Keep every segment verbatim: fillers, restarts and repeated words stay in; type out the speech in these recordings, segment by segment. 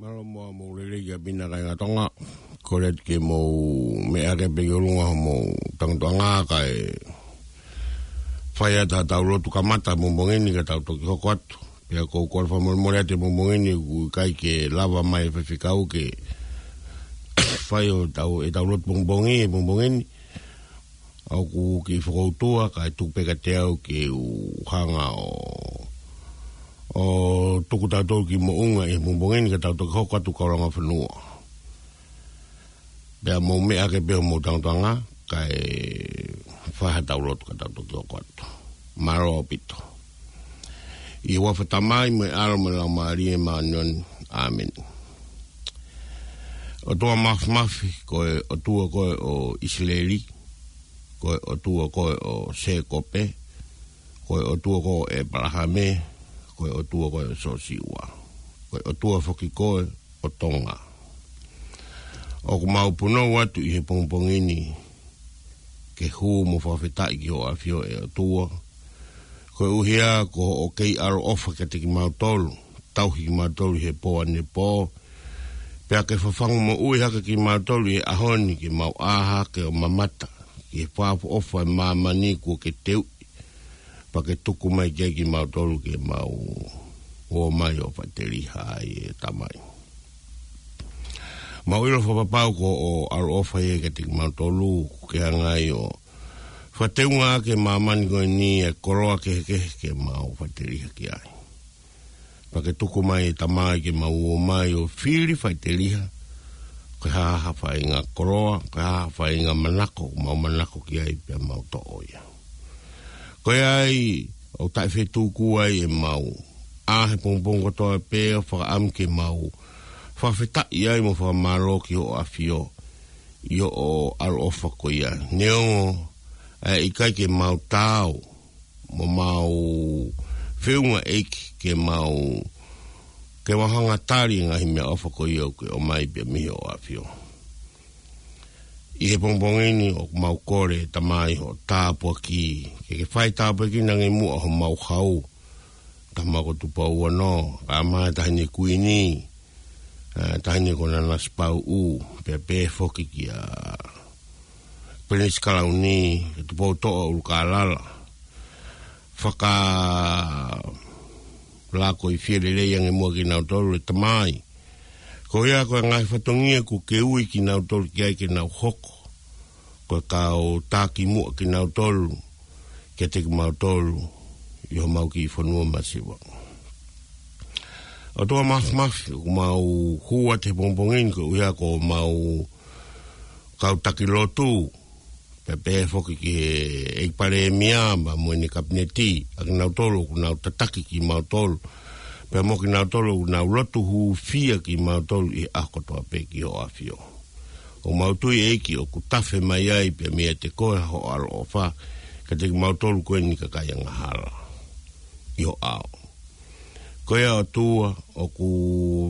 Mālō muʻa hoʻomou lelei kia Pina kae ngā Tonga. Kole atu ke mou meʻa hake pē ki ʻolunga hoʻomou tangutuʻanga kae fai atu haʻatau lotu kamata he pongipongi ni ka tau toki hoko atu. Pea ʻoku ou kole fakamolemole atu he pongipongi ni ʻoku ʻikai ke lava mai e faifekau ke fai ʻetau, ʻetau lotu pongipongi he pongipongi ni. ʻOku ou kiʻi fakautua, kae tuku pē kiate au ke u hanga ʻo, ʻo tuku tautolu ki moʻunga he pongipongi ni ka tau toki hoko atu ki he kaulanga fonua. Pea mou meʻa hake pē hoʻomou tangutuʻanga, kae fai haʻatau lotu ka tau toki hoko atu. Mālō ʻaupito. ʻI he huafa ʻo e Tamai mo e ʻAlo mo e Laumālie Māʻoniʻoni. ʻĀmeni. ʻOtua Māfimafi, ko e ʻOtua koe ʻo ʻIsileli, ko e ʻOtua koe ʻo Sēkope, ko e ʻOtua koe ʻo ʻĒpalahame, ko e ʻOtua koe ʻo Siosiua, ko e ʻOtua foki koe ʻo Tonga. ʻOku mau punou atu ʻi he pongipongi ni ke hū mo fakafetaʻi ki hoʻo ʻAfio ʻe ʻOtua, koeʻuhi ko hoʻo kei ʻaloʻofa kiate kimautolu, tauhi kimautolu ʻi he pō ʻanepō, pea ke fafangu moʻui hake kimautolu ʻi he ʻaho ni ke mau ʻā hake ʻo mamata ki he fakaʻofoʻofa ʻo e māmani kuo ke teuʻi, pea ke tuku mai ki ai kimautolu ke mau ō mai ʻo faʻiteliha ai ʻe Tamai. Mau ʻilo fakapapau ko hoʻo ʻaloʻofa ia kiate kimautolu, kuo ke hanga ai ʻo fakateunga ʻaki e māmani ko eni ʻa e koloa kehekehe ke mau faʻiteliha ki ai. Pea ke tuku mai ʻe Tamai ke mau ō mai ʻo fili faʻiteliha, ko e hā ha faʻahinga koloa, ko e hā ha faʻahinga manako, mau manako ki ai pea mau toʻo ia. Ko ia ai, ʻoku taʻefetuku ai ʻemau ʻā he pongipongi kotoa pē ʻo fakaʻamu ke mau fakafetaʻi ai mo fakamālō ki hoʻo ʻAfio, ʻi hoʻo ʻaloʻofa ko ia. Neongo ʻa e ʻikai ke mau taau, mo mau feʻunga ʻEiki ke mau, ke mau hanga ʻo tali e ngaahi meʻaʻofa ko ia ʻoku ke ʻomai pē mei hoʻo ʻAfio. ʻI he pongipongi ni ʻoku mau kole Tamai hoʻo tāpuaki, ke ke fai tāpuekina ange muʻa homau hau, Tama ko Tupou Ono, kae ʻumaʻā e Taʻahine Kuini, ʻa, Taʻahine ko Nanasipauʻu, pea pehē foki kia Pelinisi Kalauni, Tupoutoʻa ʻUlukālala. Fakalākoifie lelei ange muʻa kinautolu ʻe Tamai. Ko ia ko e ngaahi fatongia kuo ke ui kinautolu ki ai ke nau hoko ko e kau taki muʻa kinautolu kiate kimautolu ʻi homau kiʻi fonua masiva. ʻOtua Māfimafi, ʻoku mau hū atu he pongipongi ni koeʻuhi ko homau kau taki lotu, pea pehē foki ki he ʻEiki Palēmia pea mo ʻene Kapineti, ʻa kinautolu ʻoku nau tataki kimautolu, pea mo kinautolu ʻoku nau lotu hūfia kimautolu ʻi he ʻaho kotoa pē ki hoʻo ʻAfio. ʻOku mau tui ʻEiki ʻoku tafe mai ai pē meiate koe hoʻo ʻaloʻofa kiate kimautolu ko eni kakai angahala ʻi ho ʻao. Ko ia ʻOtua, ʻoku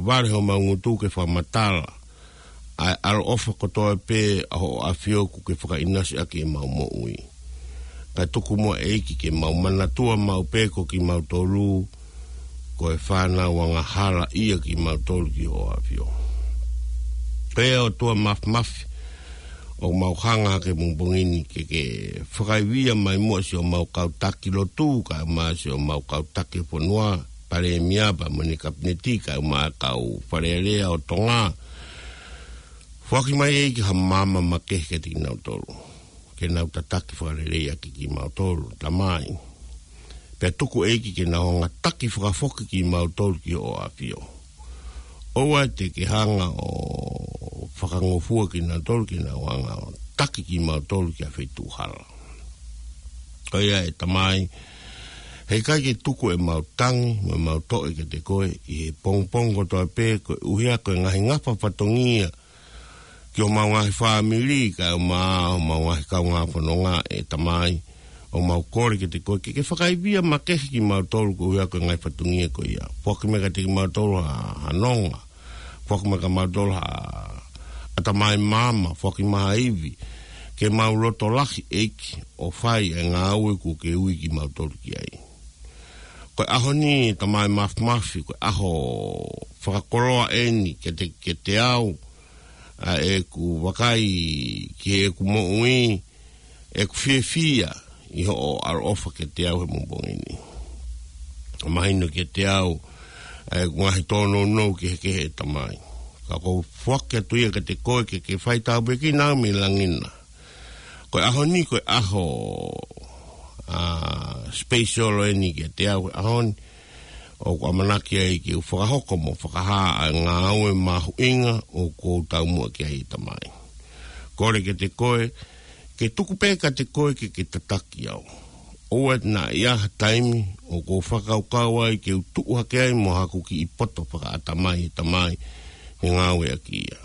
vale homau ngutu ke fakamatala ʻa e ʻaloʻofa kotoa pē ʻa hoʻo ʻAfio kuo ke fakaʻinasi ʻaki ʻemau moʻui. Kae tuku muʻa ʻEiki ke mau manatua maʻu pē ko kimautolu ko e fānau angahala ia kimautolu ki hoʻo ʻAfio. Ko ia ʻOtua Māfimafi, ʻoku mau hanga hake he pongipongi ni ke ke fakaivia mai muʻa siʻomau kau taki lotu, kae ʻumaʻā siʻomau kau taki fonua, Palēmia pea mo ʻene Kapineti, kae ʻumaʻā e kau Fale Alea ʻo Tonga. Foaki mai ʻEiki ha maama makehe kiate kinautolu, ke nau tataki fakalelei ʻaki kimautolu, Tamai. Pea tuku ʻEiki ke nau hanga ʻo taki fakafoki kimautolu ki hoʻo ʻAfio. ʻOua te ke hanga ʻo fakangofua kinautolu ke nau hanga ʻo taki kimautolu ki ha feituʻu hala. Ko ia ʻe Tamai, heʻikai ke tuku ʻemau tangi mo ʻemau toʻe kiate koe ʻi he pongipongi kotoa pē, koeʻuhi ko e ngaahi ngafa fatongia ki homau ngaahi fāmili, kae ʻumaʻā homau ngaahi kaungā fononga ʻe Tamai, ʻoku mau kole kiate koe ke ke fakaivia makehe kimautolu koeʻuhi ko e ngaahi fatongia ko ia. Foaki mai kiate kimautolu ha, ha nonga. Foaki mai kiate kimautolu ha ʻatamai maama, foaki mai ha ivi, ke mau loto lahi ʻEiki ʻo fai e ngāue kuo ke ui kimautolu ki ai. Ko e ʻaho ni Tamai Māfimafi, ko e ʻaho fakakoloa eni kiate, kiate au, ʻa ʻeku vakai ki heʻeku moʻui, ʻeku fiefia ʻi hoʻo ʻaloʻofa kiate au he pongipongi ni. Mahino kiate au ʻa ʻeku ngaahi tōnounou kehekehe, ʻe Tamai. Ka ʻoku ou foaki atu ia kiate koe ke ke fai tāpuekina au mei langi na. Ko e ʻaho ni, ko e ʻaho, ʻa, special eni kiate au he ʻaho ni. ʻOku ʻamanaki ai ke u fakahoko mo fakahā ʻa e ngāue mahuʻinga ʻoku ou taumuʻa ki ai, ʻe Tamai. Kole kiate koe, ke tuku pē kiate koe ke ke tataki au. ʻOua naʻa ʻi ai ha taimi ʻoku ou fakakaukau ai ke u tuʻu hake ai mo haku kiʻi poto fakaʻatamai, ʻe Tamai, he ngāueʻaki ia.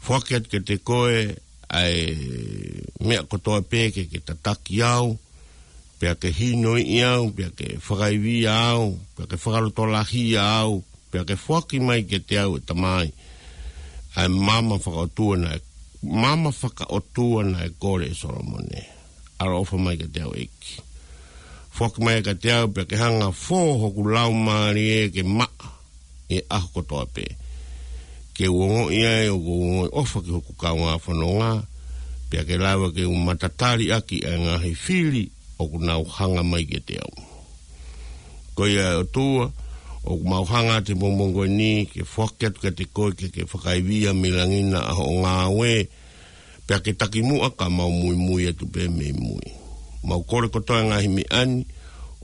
Foaki atu kiate koe ʻa e meʻa kotoa pē ke ke tataki au, pea ke hinoiʻi au, pea ke fakaivia au, pea ke fakalotolahia au, pea ke foaki mai kiate au, ʻe Tamai, ʻa e maama fakaʻotua naʻe, maama fakaʻotua naʻe kole ʻe Solomone. ʻAloʻofa mai kiate au, ʻEiki. Foaki mai kiate au, pea ke hanga ʻo fō hoku laumālie ke maʻa ʻi he ʻaho kotoa pē. Ke u ongoʻi ai ʻoku ou ongoʻi ʻofa ki hoku kaungā fononga, pea ke lava ke u matatali ʻaki ʻa e ngaahi fili ʻoku nau hanga mai kiate au. Ko ia, ʻe ʻOtua, ʻoku mau hanga atu he pongipongi ni ke foaki atu kiate koe ke ke fakaivia mei langi na ʻa hoʻo ngāue, pea ke taki muʻa ka mau muimui atu pē mei mui. Mau kole kotoa e ngaahi meʻa ni,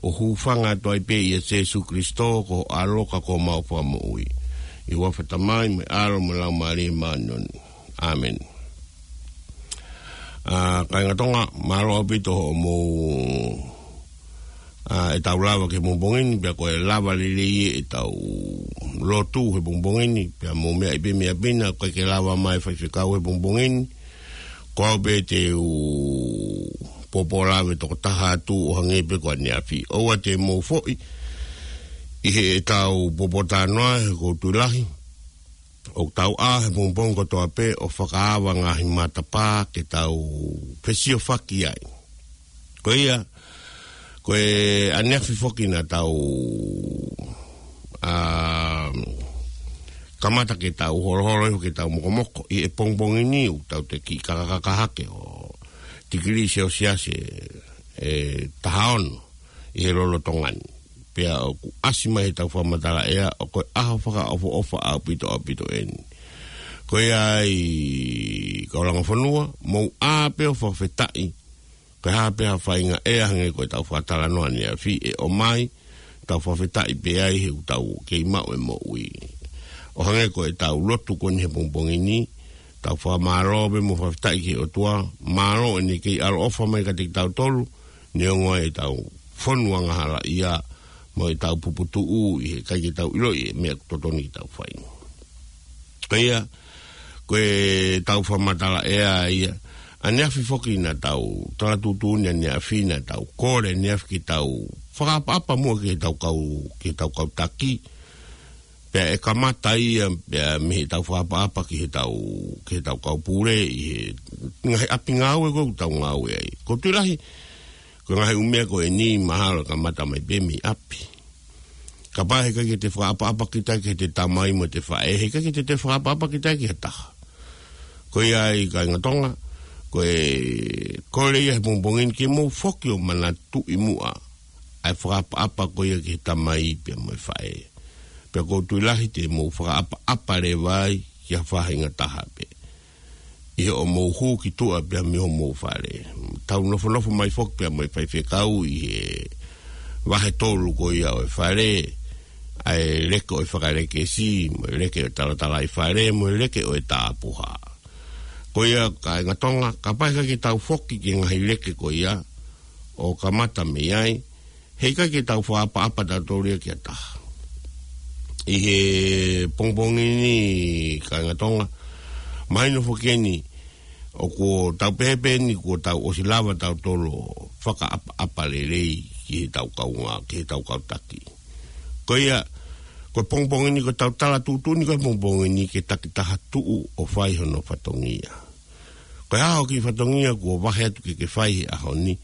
ʻo hūfanga atu ai pē ʻia Sēsū Kalaisi ko ho ʻAlo ka ko homau Fakamoʻui. ʻI he huafa ʻo e Tamai, mo e ʻAlo, mo e Laumālie Māʻoniʻoni. ʻĀmeni. ʻA, kāinga Tonga, mālō ʻaupito hoʻomou, ʻa, ʻetau lava ki he pongipongi ni, pea ko e lava lelei ʻetau lotu he pongipongi ni, pea mou meaʻi pē mei ʻapi na, ʻoku ʻikai ke lava mai e faifekau he pongipongi ni, ko au pē te u pōpōlave tokotaha atu ʻo hangē pē ko ʻaneafi. ʻOua te mou foʻi ʻi heʻetau pōpōtalanoa, he ʻoku ou tui lahi ʻoku tau ʻā he pongipongi kotoa pē ʻo fakaava ngaahi matapā ke tau fesiofaki ai. Ko ia, ko e ʻaneafi foki naʻa tau, ʻa, kamata ke tau holoholo ʻi hoʻo ke tau mokomoko ʻi he pongipongi ni, ʻoku tau toe kiʻi kakaka hake ʻo tikilī Selesiasi ʻe, ʻe taha ono ʻi he lolotonga ni. Pea ʻoku ʻasi mai heʻetau fakamatala ʻea, ʻoku ʻi ai ha fakaʻofoʻofa ʻaupito, ʻaupito eni. Ko ia ai, kau langa fonua, mou ʻā pē ʻo fakafetaʻi, ko e hā pē ha faʻahinga ʻea hangē ko ʻetau fakatalanoa ʻaneafi ʻe ʻomai, tau fakafetaʻi pē ai he ʻoku tau kei maʻu e moʻui. ʻO hangē ko ʻetau lotu ko eni he pongipongi ni, tau fakamālō pē mo fakafetaʻi ki he ʻOtua, mālō ʻene kei ʻaloʻofa mai kiate kitautolu, neongo ʻetau fonu angahala ia, mo ʻetau puputuʻu ʻi he ʻikai ke tau ʻiloʻi e meʻa ʻoku totonu ke tau fai. Ko ia, ko ʻetau fakamatala ʻea ia, ʻaneafi foki naʻa tau, tala tuʻutuʻuni ʻaneafi naʻa tau kole ʻaneafi ke tau fakaʻapaʻapa muʻa ki heʻetau kau, ki heʻetau kau taki, pea ʻe kamata ia, pea mei heʻetau fakaʻapaʻapa ki heʻetau, ki heʻetau kau pule ʻi he ngaahi ʻapi ngāue ko ē ʻoku tau ngāue ai. ʻOku ou tui lahi, ko e ngaahi ʻū meʻa ko eni mahalo ʻe kamata mai pē mei ʻapi. Kapau heʻikai ke te fakaʻapaʻapa kita ki heʻete tamai mo ʻete faʻē, heʻikai ke te, te fakaʻapaʻapa kita ki ha taha. Ko ia ai kāinga Tonga, ko e kole ia he pongipongi ni ke mou foki ʻo manatuʻi muʻa ʻa e fakaʻapaʻapa ko ia ki he tamai pea mo e faʻē. Pea ʻoku ou tui lahi te mou fakaʻapaʻapa leva ai ki ha faʻahinga taha pē ʻi hoʻomou hū ki tuʻa pea mei homou fale. Tau nofonofo mai foki pea mo e faifekau ʻi he vahe tolu ko ia ʻo e fale, ʻa e leke ʻo e fakalekesi, mo e leke ʻo e talatalaifale, mo e leke ʻo e tapuhā. Ko ia kāinga Tonga, kapau heʻikai ke tau foki ki he ngaahi leke ko ia ʻo kamata mei ai, heʻikai ke tau fakaʻapaʻapa tautolu ia ki ha taha. ʻI he pongipongi ni kāinga Tonga, mahino foki eni, ʻoku tau pehē pē eni kuo tau ʻosi lava tautolu ʻo fakaʻapaʻapa lelei ki heʻetau kaungā, ki heʻetau kau taki. Ko ia, ko e pongipongi ni ko ʻetau tala tuʻutuʻuni ko e pongipongi ni ke takitaha tuʻu ʻo fai hono fatongia. Ko e hā hoʻo kiʻi fatongia kuo vahe atu ke ke fai he ʻaho ni?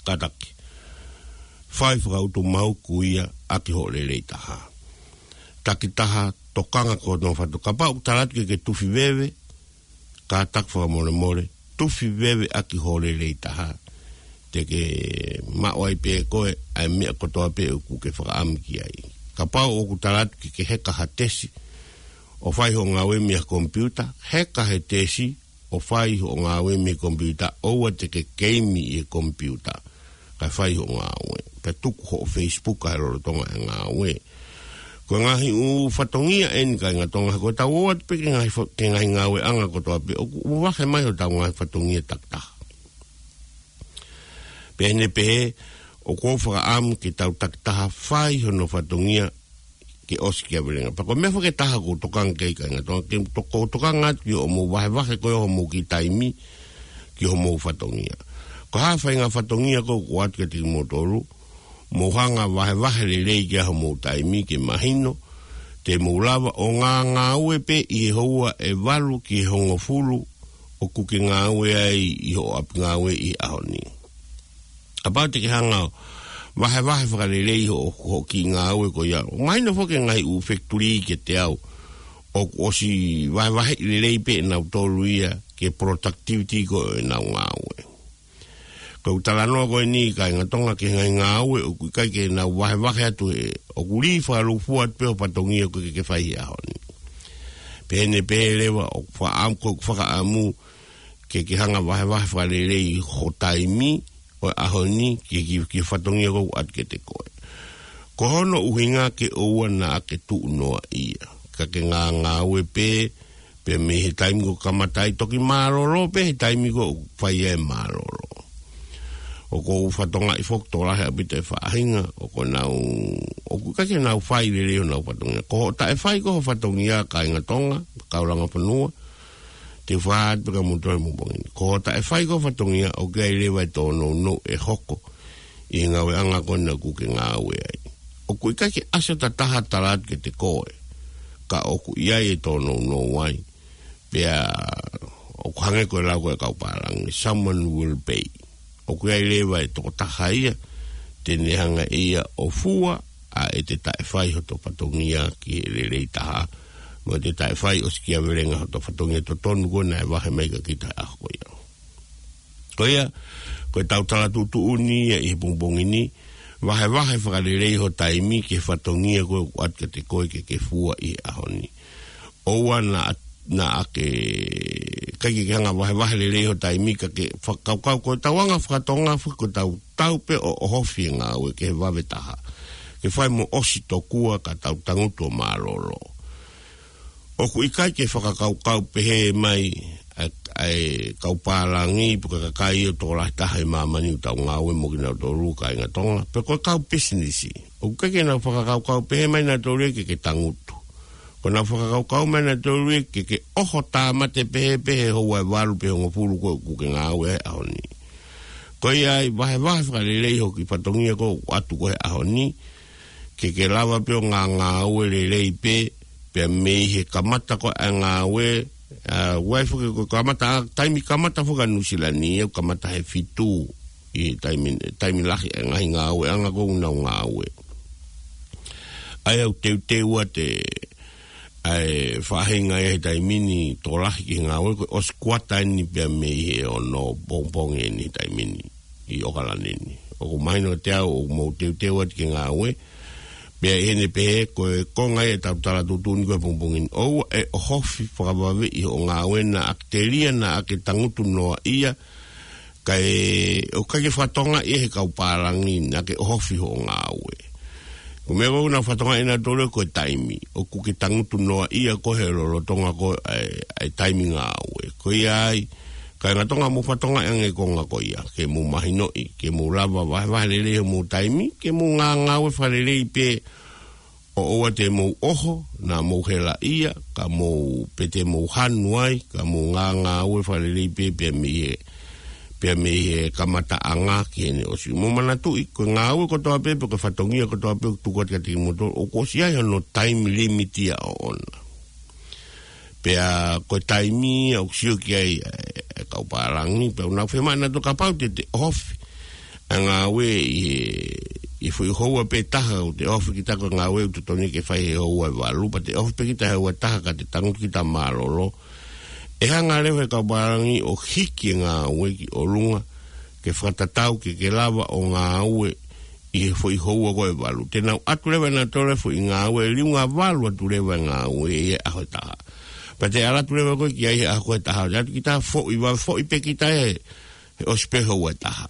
Kātaki. fai fakautu mau kuia ʻaki hoʻo lelei taha. Takitaha, tokanga ki hono fatu. Kapau ʻoku tala atu ke ke tufi veve, kātaki fakamolemole, tufi veve ʻaki hoʻo lelei taha. Te ke maʻu ai pē koe ʻa e meʻa kotoa pē ʻoku ke fakaʻamu ki ai. Kapau ʻoku tala atu ke ke heka ha tesi ʻo fai hoʻo ngāue mei he komipiuta, heka he tesi ʻo fai hoʻo ngāue mei he komipiuta, ʻoua te ke keimi ʻi he komipiuta kae fai hoʻo ngāue. Pea tuku hoʻo Facebook ʻi lolotonga e ngāue. Ko e ngaahi ʻū fatongia eni, kāinga Tonga, ko ʻetau ō atu pē ki he ngaahi fa-, ki he ngaahi ngāueʻanga kotoa pē, ʻoku vahe mai hotau ngaahi fatongia takitaha. Pea ʻi heʻene pehē, ʻoku ou fakaʻamu ke tau takitaha fai hono fatongia ke ʻosikiavelenga. Pea ko e meʻa foki ʻe taha ʻoku ou tokanga ki ai, kāinga Tonga, ke to-, ʻoku ou tokanga atu ki hoʻomou vahevahe ko ē hoʻomou kiʻi taimi ki hoʻomou fatongia. Ko e hā e faʻahinga fatongia ko ē ʻoku ʻoatu kiate kimoutolu, mou hanga ʻo vahevahe lelei ki ai hoʻomou taimi ke mahino te mou lava ʻo ngāngāue pē ʻi he houa ʻe valu ki he hongofulu ʻoku ke ngāue ai ʻi hoʻo ʻapi ngāue ʻi he ʻaho ni. Kapau te ke hanga ʻo vahevahe fakalelei hoʻo, hoʻo kiʻi ngāue ko ia. Mahino foki e ngaahi ʻū fekitulī kiate au ʻoku ʻosi vahevahe lelei pē ʻe nautolu ia ki he productivity ko ē ʻenau ngāue. Ko ʻeku talanoa ko eni, kāinga Tonga, ki he ngaahi ngāue ʻoku ʻikai ke nau vahevahe atu, ʻoku lī fakalūkufua atu pē hoʻo fatongia ko ē ke ke fai he ʻaho ni. Pea ʻi heʻene pehē leva, ʻoku fakaʻamu, ko ʻeku fakaʻamu ke ke hanga ʻo vahevahe fakalelei hoʻo taimi ʻo e ʻaho ni ki, ki, ki he fatongia ko ē ʻoku ʻoatu kiate koe. Ko hono ʻuhinga ke ʻoua naʻa ke tuʻu noaʻia, ka ke ngāngāue pē, pea mei he taimi ko ē ʻoku kamata ai, toki mālōlō pē he taimi ko ē ʻoku fai ai e mālōlō. ʻOku ou fakatokangaʻi foki ʻoku tokolahi ʻaupito e faʻahinga ʻoku nau, ʻoku ʻikai ke nau fai lelei honau fatongia. Ko hoʻo taʻefai ko ē ho fatongia, kāinga Tonga, kau langa fonua, te u fakahā atu pē kia moutolu he pongipongi ni. Ko hoʻo taʻefai ko ē ho fatongia, ʻoku ʻi ai leva e tōnounou ʻe hoko ʻi he ngāueʻanga ko ena ʻoku ke ngāue ai. ʻOku ʻikai ke ʻasi ha taha ʻo tala atu kiate koe, ka ʻoku ʻi ai e tōnounou ai. Pea ʻoku hangē ko e lau ko ē ʻa e kau pālangi, someone will pay. ʻOku ʻi ai leva e tokotaha ia te ne hanga ʻe ia ʻo fua ʻa ʻete taʻefai hoto fatongia ki he lelei taha, mo ʻete taʻefai ʻosikiavelenga hoto fatongia totonu ko ē naʻe vahe mai kia kita he ʻaho ko ia. Ko ia, ko ʻetau tala tuʻutuʻuni ia ʻi he pongipongi ni, vahevahe fakalelei ho taimi ki he fatongia ko ē ʻoku ʻoatu kiate koe ke ke fua ʻi he ʻaho ni. ʻOua naʻa, naʻa ke, ʻikai ke ke hanga ʻo vahevahe lelei ho taimi ka ke fakakaukau ko ʻetau anga faka-Tonga foki ko ʻetau tau pē ʻo ʻohofi e ngāue ki he vave taha. Ke fai mo ʻosi tokua ka tau tangutu ʻo mālōlō. ʻOku ʻikai ke fakakaukau pehē mai ʻa, ʻa e kau pālangi pe ko e kakai ʻoku tokolahi taha ʻi māmani ʻoku tau ngāue mo kinautolu, kāinga Tonga, pe ko e kau pisinisi. ʻOku ʻikai ke nau fakakaukau pehē mai nautolu ia ke ke tangutu. ʻOku nau fakakaukau mai nautolu ia ke ke ʻoho tāmate pehē pē he houa ʻe valu pe hongofulu ko ē ʻoku ke ngāue ai he ʻaho ni. Ko ia ai, vahevahe fakalelei hoʻo kiʻi fatongia ko ē ʻoku ʻoatu ko ē he ʻaho ni, ke ke lava pē ʻo ngāngāue lelei pē, pea mei he kamata ko ē ʻa e ngāue, ʻa, ʻoku ʻi ai foki ko e kamata, ʻa, taimi kamata foki ʻa Nuʻu Sila ni, ʻoku kamata he fitu ʻi he taimi, taimi lahi ʻa e ngaahi ngāueʻanga ko ē ʻoku nau ngāue. ʻA ia ʻoku teuteu atu e, ʻa e faʻahinga ia he taimi ni tokolahi ki he ngāue ko ē ʻosi kuata eni pea mei he ono pongipongi eni he taimi ni ʻi ʻOkalani ni. ʻOku mahino kiate au ʻoku mou teuteu atu ki he ngāue. Pea ʻi heʻene pehē, ko e konga ia ʻetau tala tuʻutuʻuni ko ē he pongipongi ni, ʻoua ʻe ʻohofi fakavave ʻi hoʻo ngāue naʻa ke telia naʻa ke tangutu noaʻia, kae ʻoua ke fakatokangaʻi ʻe he kau pālangi naʻa ke ʻohofi hoʻo ngāue. Ko e meʻa ʻoku nau fakatokangaʻi ʻe nautolu ko e taimi, ʻoku ke tangutu noaʻia koe he lolotonga ko ē ʻa e, ʻa e taimi ngāue. Ko ia ai, kāinga Tonga, mou fakatokangaʻi ange e konga ko ia, ke mou mahinoʻi, ke mou lava vahevahe lelei hoʻomou taimi, ke mou ngāngāue fakalelei pē, ʻo ʻoua te mou ʻoho, naʻa mou helaʻia, ka mou, pe te mou hanu ai, ka mou ngāngāue fakalelei pē, pea mei he, pea mei he kamataʻanga ki heʻene ʻosi. Mou manatuʻi, ko e ngāue kotoa pē, pe ko e fatongia kotoa pē ʻoku tuku atu kiate kimoutolu, ʻoku ʻosi ʻi ai hono time limit ia ʻoʻona. Pea ko e taimi ia ʻoku sio ki ai e, e kau pālangi, pea ʻoku nau fiemaʻu nautolu kapau te te ʻohofi ʻa e ngāue ʻi he ʻi he foʻi houa pē taha ʻoku te ofi kita ko e ngāue ʻoku totonu ke fai he houa ʻe valu, pea te ofi pē kita he houa ʻe taha ka te tangutu kita mālōlō. ʻE hanga leva he kau pālangi ʻo hiki e ngāue ki ʻolunga, ke fakatatau ke ke lava ʻo ngāue ʻi he foʻi houa ko ē ʻe valu. Te nau ʻatu leva ʻe nautolu e foʻi ngāue, liunga valu atu leva e ngāue ʻi he ʻaho ʻe taha. Pea te ʻalu atu leva koe ki ai he ʻaho ko ē ʻe taha. Te ʻatu kita foʻi, vave foʻi pē kita he, he ʻosi pē houa ʻe taha.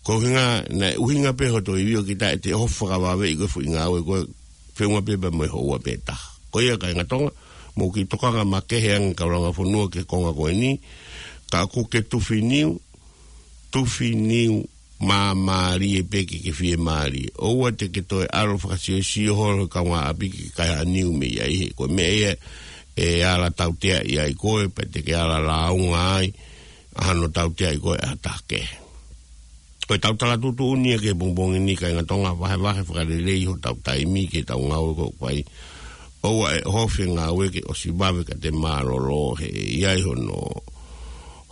Ko e ʻuhinga, naʻe ʻuhinga pē hoto ivi ʻo kita ʻe te ofi fakavave ʻi ko e foʻi ngāue ko ē feʻunga pē pea mo e houa pē ʻe taha. Ko ia kāinga Tonga, mou kiʻi tokanga makehe ange kau langa fonua ki he konga ko eni, ka ʻoku ke tufi niu, tufi niu māmālie pē ke ke fiemālie. ʻOua te ke toe ʻalu fakasiosio holo he kaungāʻapi ke kai ha niu mei ai he ko e meʻa ia ʻe ala tauteaʻi ai koe, pea te ke ala lāunga ai ʻa hono tauteaʻi koe ʻe ha taha kehe. Ko ʻetau tala tuʻutuʻuni ia ki he pongipongi ni kāinga Tonga, vahevahe fakalelei hotau taimi ke tau ngāue ko ē ʻoku fai. ʻOua ʻe ʻohofi e ngāue ke ʻosi vave ka te mālōlō he ʻe ʻi ai hono,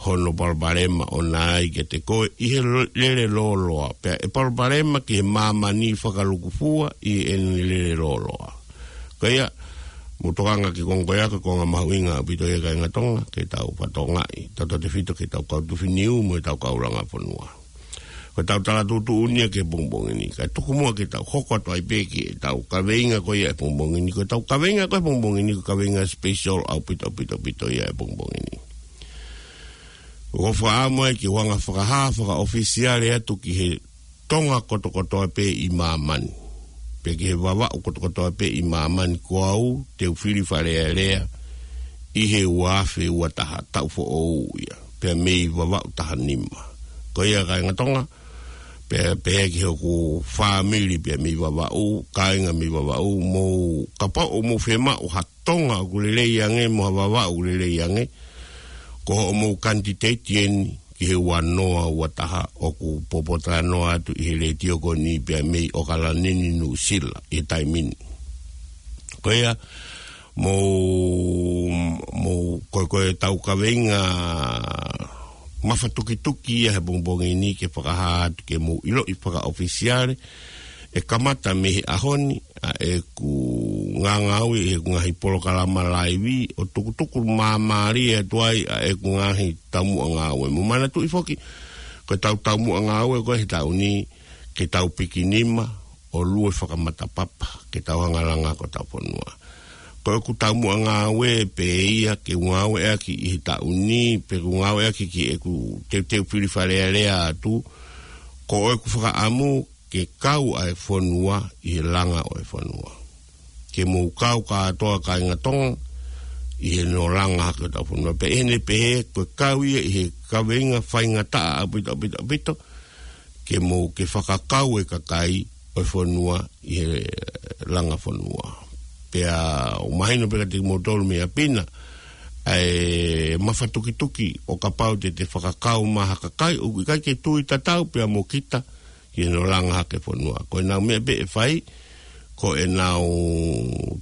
hono palopalema ʻoʻona ai kiate koe ʻi he lo-, lele lōloa. Pea ʻe palopalema ki he māmani fakalukufua ʻi heʻene lele lōloa. Ko ia, mou tokanga ki he konga ko ia, ko e konga mahuʻinga ʻaupito ia kāinga Tonga, ke tau fakatokangaʻi, tautautefito ki heʻetau kau tufi niu mo ʻetau kau langa fonua. Ko ʻetau tala tuʻutuʻuni ia ki he pongipongi ni. Kae tuku muʻa ke tau hoko atu ai pē ki heʻetau kaveinga ko ia ʻo e pongipongi ni. Ko ʻetau kaveinga ko ē ʻo e pongipongi ni, ko e kaveinga special ʻaupito, ʻaupito, ʻaupito ia ʻo e pongipongi ni. ʻOku ou fakaʻamu ai ke u hanga ʻo fakahā fakaʻofisiale atu ki he Tonga kotokotoa pē ʻi māmani, pea ki he Vavaʻu kotokotoa pē ʻi māmani, ko au te u fili Fale Alea ʻi he ua afe ua taha, taʻu foʻou ia, pea mei Vavaʻu taha nima. Ko ia kāinga Tonga, pea pehē ki hoku fāmili pea mei Vavaʻu, kāinga mei Vavaʻu, mou, kapau ʻoku mou fiemaʻu ha Tonga ʻoku lelei ange mo ha Vavaʻu ʻoku lelei ange, ko hoʻomou kanititeiti eni ki he ua noa ua taha ʻoku popotalanoa atu ʻi he letiō ko eni pea mei ʻAokalani ni, Nuʻusila, ʻi he taimi ni. Ko ia, mou, mou, ko, ko ʻetau kaveinga mafatukituki ia he pongipongi ni ke fakahā atu ke mou ʻiloʻi fakaʻofisiale, ʻe kamata mei he ʻaho ni ʻa ʻeku ngāue ʻi heʻeku ngaahi polokalama laivi ʻo tukutuku māmālie atu ai ʻa ʻeku ngaahi taumuʻa ngāue. Mou manatuʻi foki, ko ʻetau taumuʻa ngāue ko ē he taʻu ni, ke tau pikinima ʻo lue fakamatapapa, ke tau hanga ʻo langa hake hotau fonua. Ko ʻeku taumuʻa ngāue pē ia ke u ngāueʻaki ʻi he taʻu ni, pe ʻeku ngāueʻaki ki heʻeku teuteu fili Fale Alea atu, ko ʻeku fakaʻamu ke kau ʻa e fonua ʻi he langa ʻo e fonua. Ke mou kau kātoa kāinga Tonga ʻi heʻene langa hake hotau fonua. Pea ʻi heʻene pehē, ko e kau ia ʻi he kaveinga faingataʻa ʻaupito, ʻaupito, ʻaupito, ke mou ke fakakau e kakai ʻo e fonua ʻi he langa fonua. Pea ʻoku mahino pē kiate kimoutolu mei ʻapi na ʻa e mafatukituki ʻo kapau te te fakakau mai ha kakai ʻoku ʻikai ke tui tatau pea mo kita ki heʻene langa hake fonua. Ko ʻenau meʻa pē ʻe fai, ko ʻenau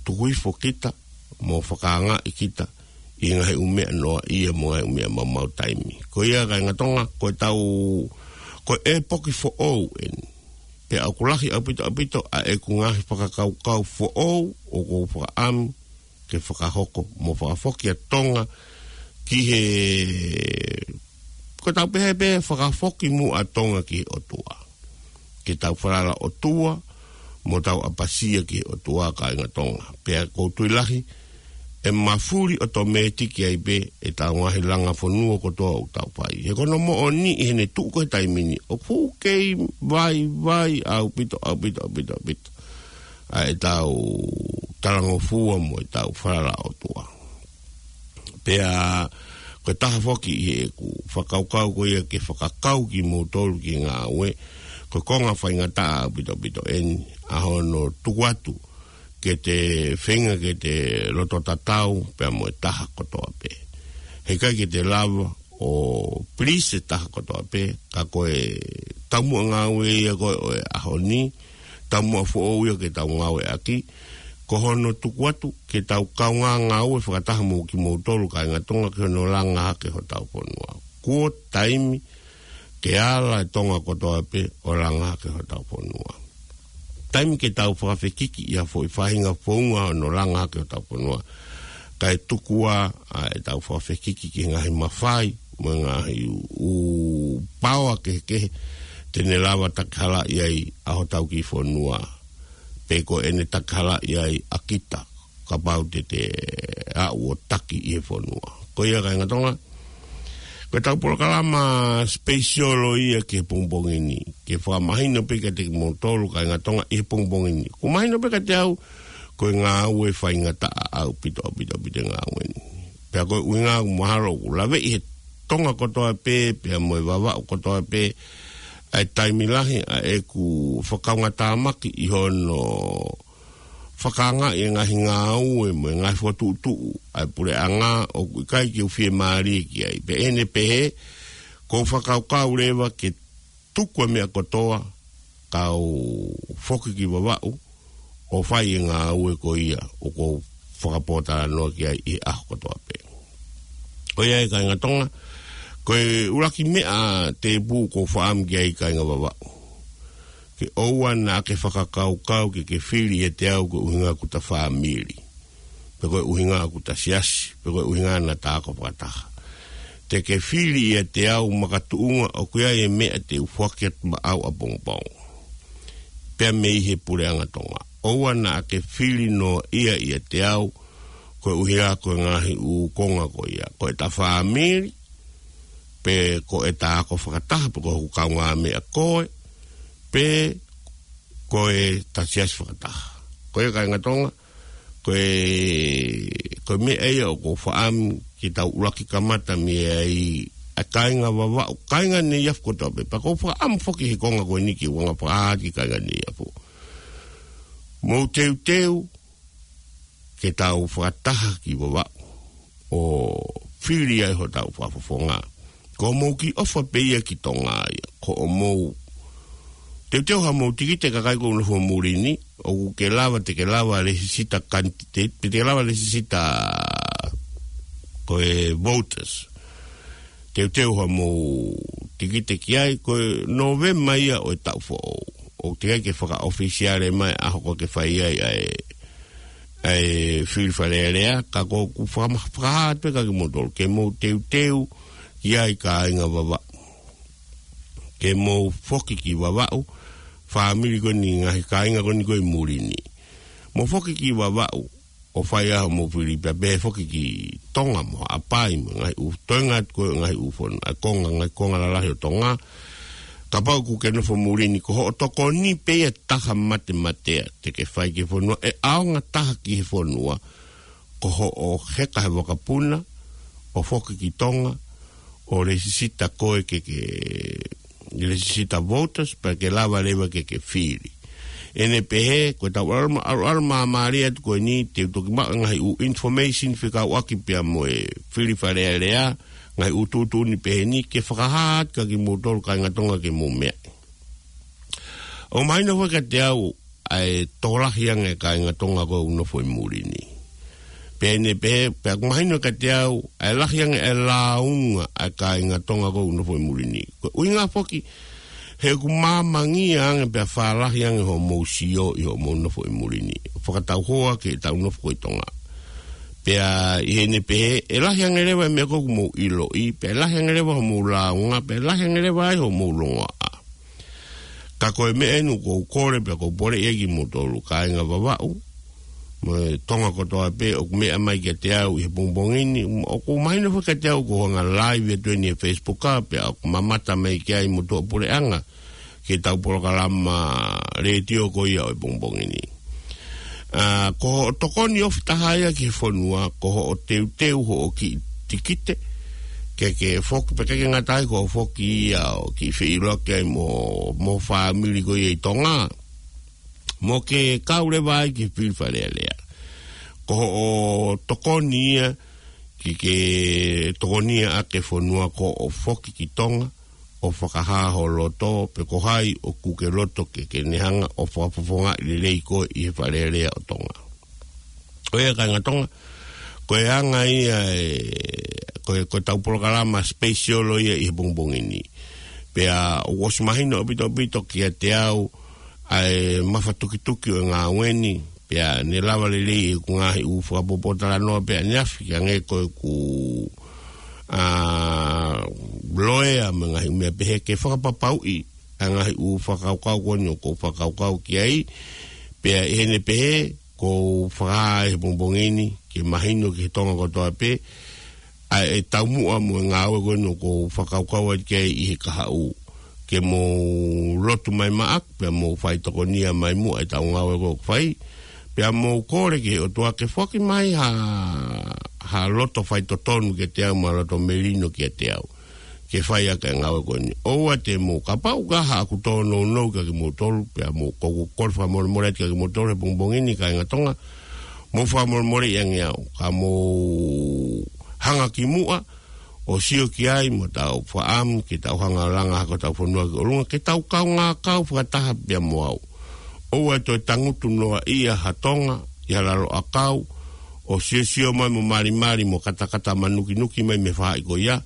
tuku hifo kita mo fakaangaʻi kita ʻi he ngaahi ʻū meʻa noaʻia mo e ngaahi ʻū meʻa maumau taimi. Ko ia kāinga Tonga, ko ʻetau, ko e ʻepoki foʻou eni. Pea ʻoku lahi ʻaupito, ʻaupito ʻa ʻeku ngaahi fakakaukau foʻou ʻoku ou fakaʻamu ke fakahoko mo fakafoki ʻa Tonga ki he, ko ʻetau pehē pē, fakafoki muʻa ʻa Tonga ki he ʻOtua. Ke tau falala ʻOtua, mo tau ʻapasia ki he ʻOtua kāinga Tonga. Pea ʻoku ou tui lahi, ʻe mafuli ʻotomētiki ai pē ʻetau ngaahi langa fonua kotoa ʻoku tau fai. He ko hono moʻoni ʻi heʻene tuʻu ko ē he taimi ni, ʻoku kei vaivai ʻaupito, ʻaupito, ʻaupito, ʻaupito ʻa ʻetau talangofua mo ʻetau falala ʻOtua. Pea ko e taha foki ʻi heʻeku fakakaukau ko ia ke fakakau kimoutolu ki he ngāue, ko e konga faingataʻa ʻaupito, ʻaupito eni ʻa hono tuku atu ke te feinga ke te loto tatau pea mo e taha kotoa pē. Heʻikai ke te lava ʻo please e taha kotoa pē, ka ko e taumuʻa ngāue ia ko ē ʻo e ʻaho ni, taumuʻa foʻou ia ke tau ngāueʻaki, ko hono tuku atu ke tau kaungā ngāue fakataha mo kimoutolu kāinga Tonga ki hono langa hake hotau fonua. Kuo taimi ke ala e Tonga kotoa pē ʻo langa hake hotau fonua. taimi ke tau fakafekiki ʻi ha foʻi faʻahinga founga ʻo e langa hake ʻo hotau fonua. Kae tuku ā ʻetau fakafekiki ki he ngaahi mafai, mo e ngaahi ʻū paoa kehekehe, te ne lava takihalaʻi ai ʻa hotau kiʻi fonua. Pe ko ʻene takihalaʻi ai ʻa kita, kapau te te aʻu ʻo taki ʻi he fonua. Ko ia kāinga Tonga, ko ʻetau polokalama special ʻo ia ki he pongipongi ni, ke fakamahino pē kiate kimoutolu kāinga Tonga ʻi he pongipongi ni. Kuo mahino pē kiate au, ko e ngāue faingataʻa ʻaupito, ʻaupito, ʻaupito e ngāue ni. Pea ko e ʻuhinga ʻoku mahalo ʻoku laveʻi he Tonga kotoa pē, pea mo e Vavaʻu kotoa pē, ʻa e taimi lahi ʻa ʻeku fakaungatāmaki ʻi hono fakaangaʻi e ngaahi ngāue mo e ngaahi fokotuʻutuʻu ʻa e puleʻanga ʻoku ʻikai ke u fiemālie ki ai. Pea ʻi heʻene pehē, ʻoku ou fakakaukau leva ke tuku e meʻa kotoa, kau foki ki Vavaʻu, ʻo fai e ngāue ko ia ʻoku ou fakapōtalanoa ki ai ʻi he ʻaho kotoa pē. Ko ia ē kāinga Tonga, ko e ʻuluaki meʻa tēpū ʻoku ou faʻamu ki ai kāinga Vavaʻu. Ke ʻoua naʻa ke fakakaukau ke ke fili ʻiate au ko e ʻuhinga ʻoku ta fāmili, pe ko e ʻuhinga ʻoku ta siasi, pe ko e ʻuhinga naʻa ta ako fakataha. Te ke fili ʻiate au makatuʻunga ʻoku ʻi ai e meʻa te u foaki atu maʻau ʻapongipongi. Pea mei he puleʻanga Tonga. ʻOua naʻa ke fili noa ia ʻiate au, ko e ʻuhinga ko e ngaahi ʻū konga ko ia. Ko ʻeta fāmili, pe ko ʻeta ako fakataha, pe ko hoku kaungāmeʻa koe, pe ko ʻeta siasi fakataha. Ko ia kāinga Tonga, ko e, ko e meʻa ia ʻoku ou faʻamu ke tau ʻuluaki kamata mei ai ʻa e kāinga Vavaʻu, kāinga Neiafu kotoa pē. Pea ʻoku ou faʻamu foki he konga ko eni ke u anga fakahā ki he kāinga Neiafu. Mou teuteu ke tau fakataha ki Vavaʻu ʻo fili ai hotau fakafofonga. Ko hoʻomou kiʻi ʻofa pē ia ki Tonga ia. Ko hoʻomou teuteu haʻamou tikite, kakai ʻoku nofo muli ni, ʻoku ke lava, te ke lava lēsisita candidate, pe te ke lava lēsisita ko e voters. Teuteu haʻamou tikite ki ai, ko e Nōvema ia ʻo e taʻu foʻou. ʻOku teʻeki ai ke fakaʻofisiale mai ʻa e ʻaho ʻoku ke fai ai ʻa e, ʻa e fili Fale Alea, ka ʻoku ou fakama-, fakahā atu pē kia kimoutolu, ke mou teuteu ki ai kāinga Vavaʻu. Ke mou foki ki Vavaʻu, fāmili ko eni, ngaahi kāinga ko eni ko ē ʻi muli ni. Mou foki ki Vavaʻu, ʻo fai ai hoʻomou fili, pea pehē foki ki Tonga mo Haʻapai mo e ngaahi ʻū toenga atu ko ē ngaahi ʻū fon-, ʻa e konga, ngaahi konga lalahi ʻo Tonga. Kapau ʻoku ke nofo muli ni, ko hoʻo tokoni pē ia ʻe taha matemateʻi te ke fai ki he fonua, ʻe ʻaonga taha ki he fonua, ko hoʻo heka he vakapuna, ʻo foki ki Tonga, ʻo lēsisita koe ke ke, lēsisita voters, pea ke lava leva ke ke fili. ʻI heʻene pehē, ko ʻetau ʻalu ma-, ʻalu, ʻalu māmālie atu ko eni, te u toki maʻu e ngaahi ʻū information fekauʻaki pea mo e fili Fale Alea, ngaahi ʻū tuʻutuʻuni pehē ni, ke fakahā atu kia kimoutolu kāinga Tonga ke mou meaʻi. ʻOku mahino foki kiate au ʻa e tokolahi ange e kāinga Tonga ko ē ʻoku nofo ʻi muli ni. Pea ʻi heʻene pehē, pea ʻoku mahino kiate au ʻa e lahi ange e lāunga ʻa e kāinga Tonga ko ē ʻoku nofo ʻi muli ni. Ko e ʻuhinga foki, he ʻoku māmangia ange pea fālahi ange hoʻomou sio ʻi hoʻomou nofo ʻi muli ni. Fakatauhoa ki heʻetau nofo ko ē ʻi Tonga. Pea ʻi heʻene pehē, ʻe lahi ange leva e meʻa ko ē ʻoku mou ʻiloʻi, pea ʻe lahi ange leva hoʻomou lāunga, pea ʻe lahi ange leva ai hoʻomou longoaʻa. Ka ko e meʻa eni ʻoku ou kole pea ʻoku ou poleʻi ai kimoutolu kāinga Vavaʻu mo e Tonga kotoa pē ʻoku meʻa mai kiate au ʻi he pongipongi ni, ʻoku mahino foki kiate au ʻoku ou hanga live atu eni he Facebook, pea ʻoku mamata mai ki ai motuʻa puleʻanga ki heʻetau polokalama letiō ko ia ʻo e pongipongi ni. ʻA, ko hoʻo tokoni ofi taha ia ki he fonua, ko hoʻo teuteu hoʻo kiʻi tikite, ke ke foki, pea ʻikai ke ngata ai, ko hoʻo foki ia ʻo kiʻi feʻiloaki ai mo, mo e fāmili ko ia ʻi Tonga, mo ke kau leva ai ki he fili Fale Alea. Ko hoʻo tokoni ia, ke ke tokoniʻaki e fonua, ko hoʻo foki ki Tonga, ʻo fakahā ho loto, pe ko hai ʻoku ke loto ke ke ne hanga ʻo fakafofongaʻi lelei koe ʻi he Fale Alea ʻo Tonga. Ko ia kāinga Tonga, ko e anga ia e, ko e, ko ʻetau polokalama special ʻo ia ʻi he pongipongi ni. Pea ʻoku ʻosi mahino ʻaupito ʻaupito kiate au, ʻa e mafatukituki ʻo e ngāue ni, pea ne lava lelei ʻeku ngaahi ʻū fakapōpōtalanoa pē ʻaneafi, ki hangē ko ʻeku, ʻa, loea mo e ngaahi ʻū meʻa pehē ke fakapapauʻi ʻa e ngaahi ʻū fakakaukau ko eni ʻoku ou fakakaukau ki ai, pea ʻi heʻene pehē, ʻoku ou fakahā he pongipongi ni, ke mahino ki he Tonga kotoa pē, ʻa e taumuʻa mo e ngāue ko eni ʻoku ou fakakaukau atu ki ai ʻi he kahaʻu. Ke mou lotu mai maʻaku, pea mou fai tokonia mai muʻa ʻetau ngāue ko ē ʻoku fai. Pea mou kole ki he ʻOtua ke foaki mai ha, ha loto faitotonu kiate au, mo ha loto melino kiate au. Ke fai ʻaki e ngāue ko eni. ʻOua te mou kapau ka haʻaku tōnounou kiate kimoutolu, pea mou kou kole fakamolemole atu kiate kimoutolu he pongipongi ni kāinga Tonga. Mou fakamolemoleʻi ange au. Ka mou hanga ki muʻa, ʻo sio ki ai mo tau fakaʻamu ke tau hanga ʻo langa hake hotau fonua ki ʻolunga, ke tau kaungā kau fakataha pea mo au. ʻOua ʻe toe tangutu noa ia ha Tonga ʻi ha lalo ʻakau, ʻo siosio mai mo malimali mo katakata manukinuki mai mei he faʻahi ko ia,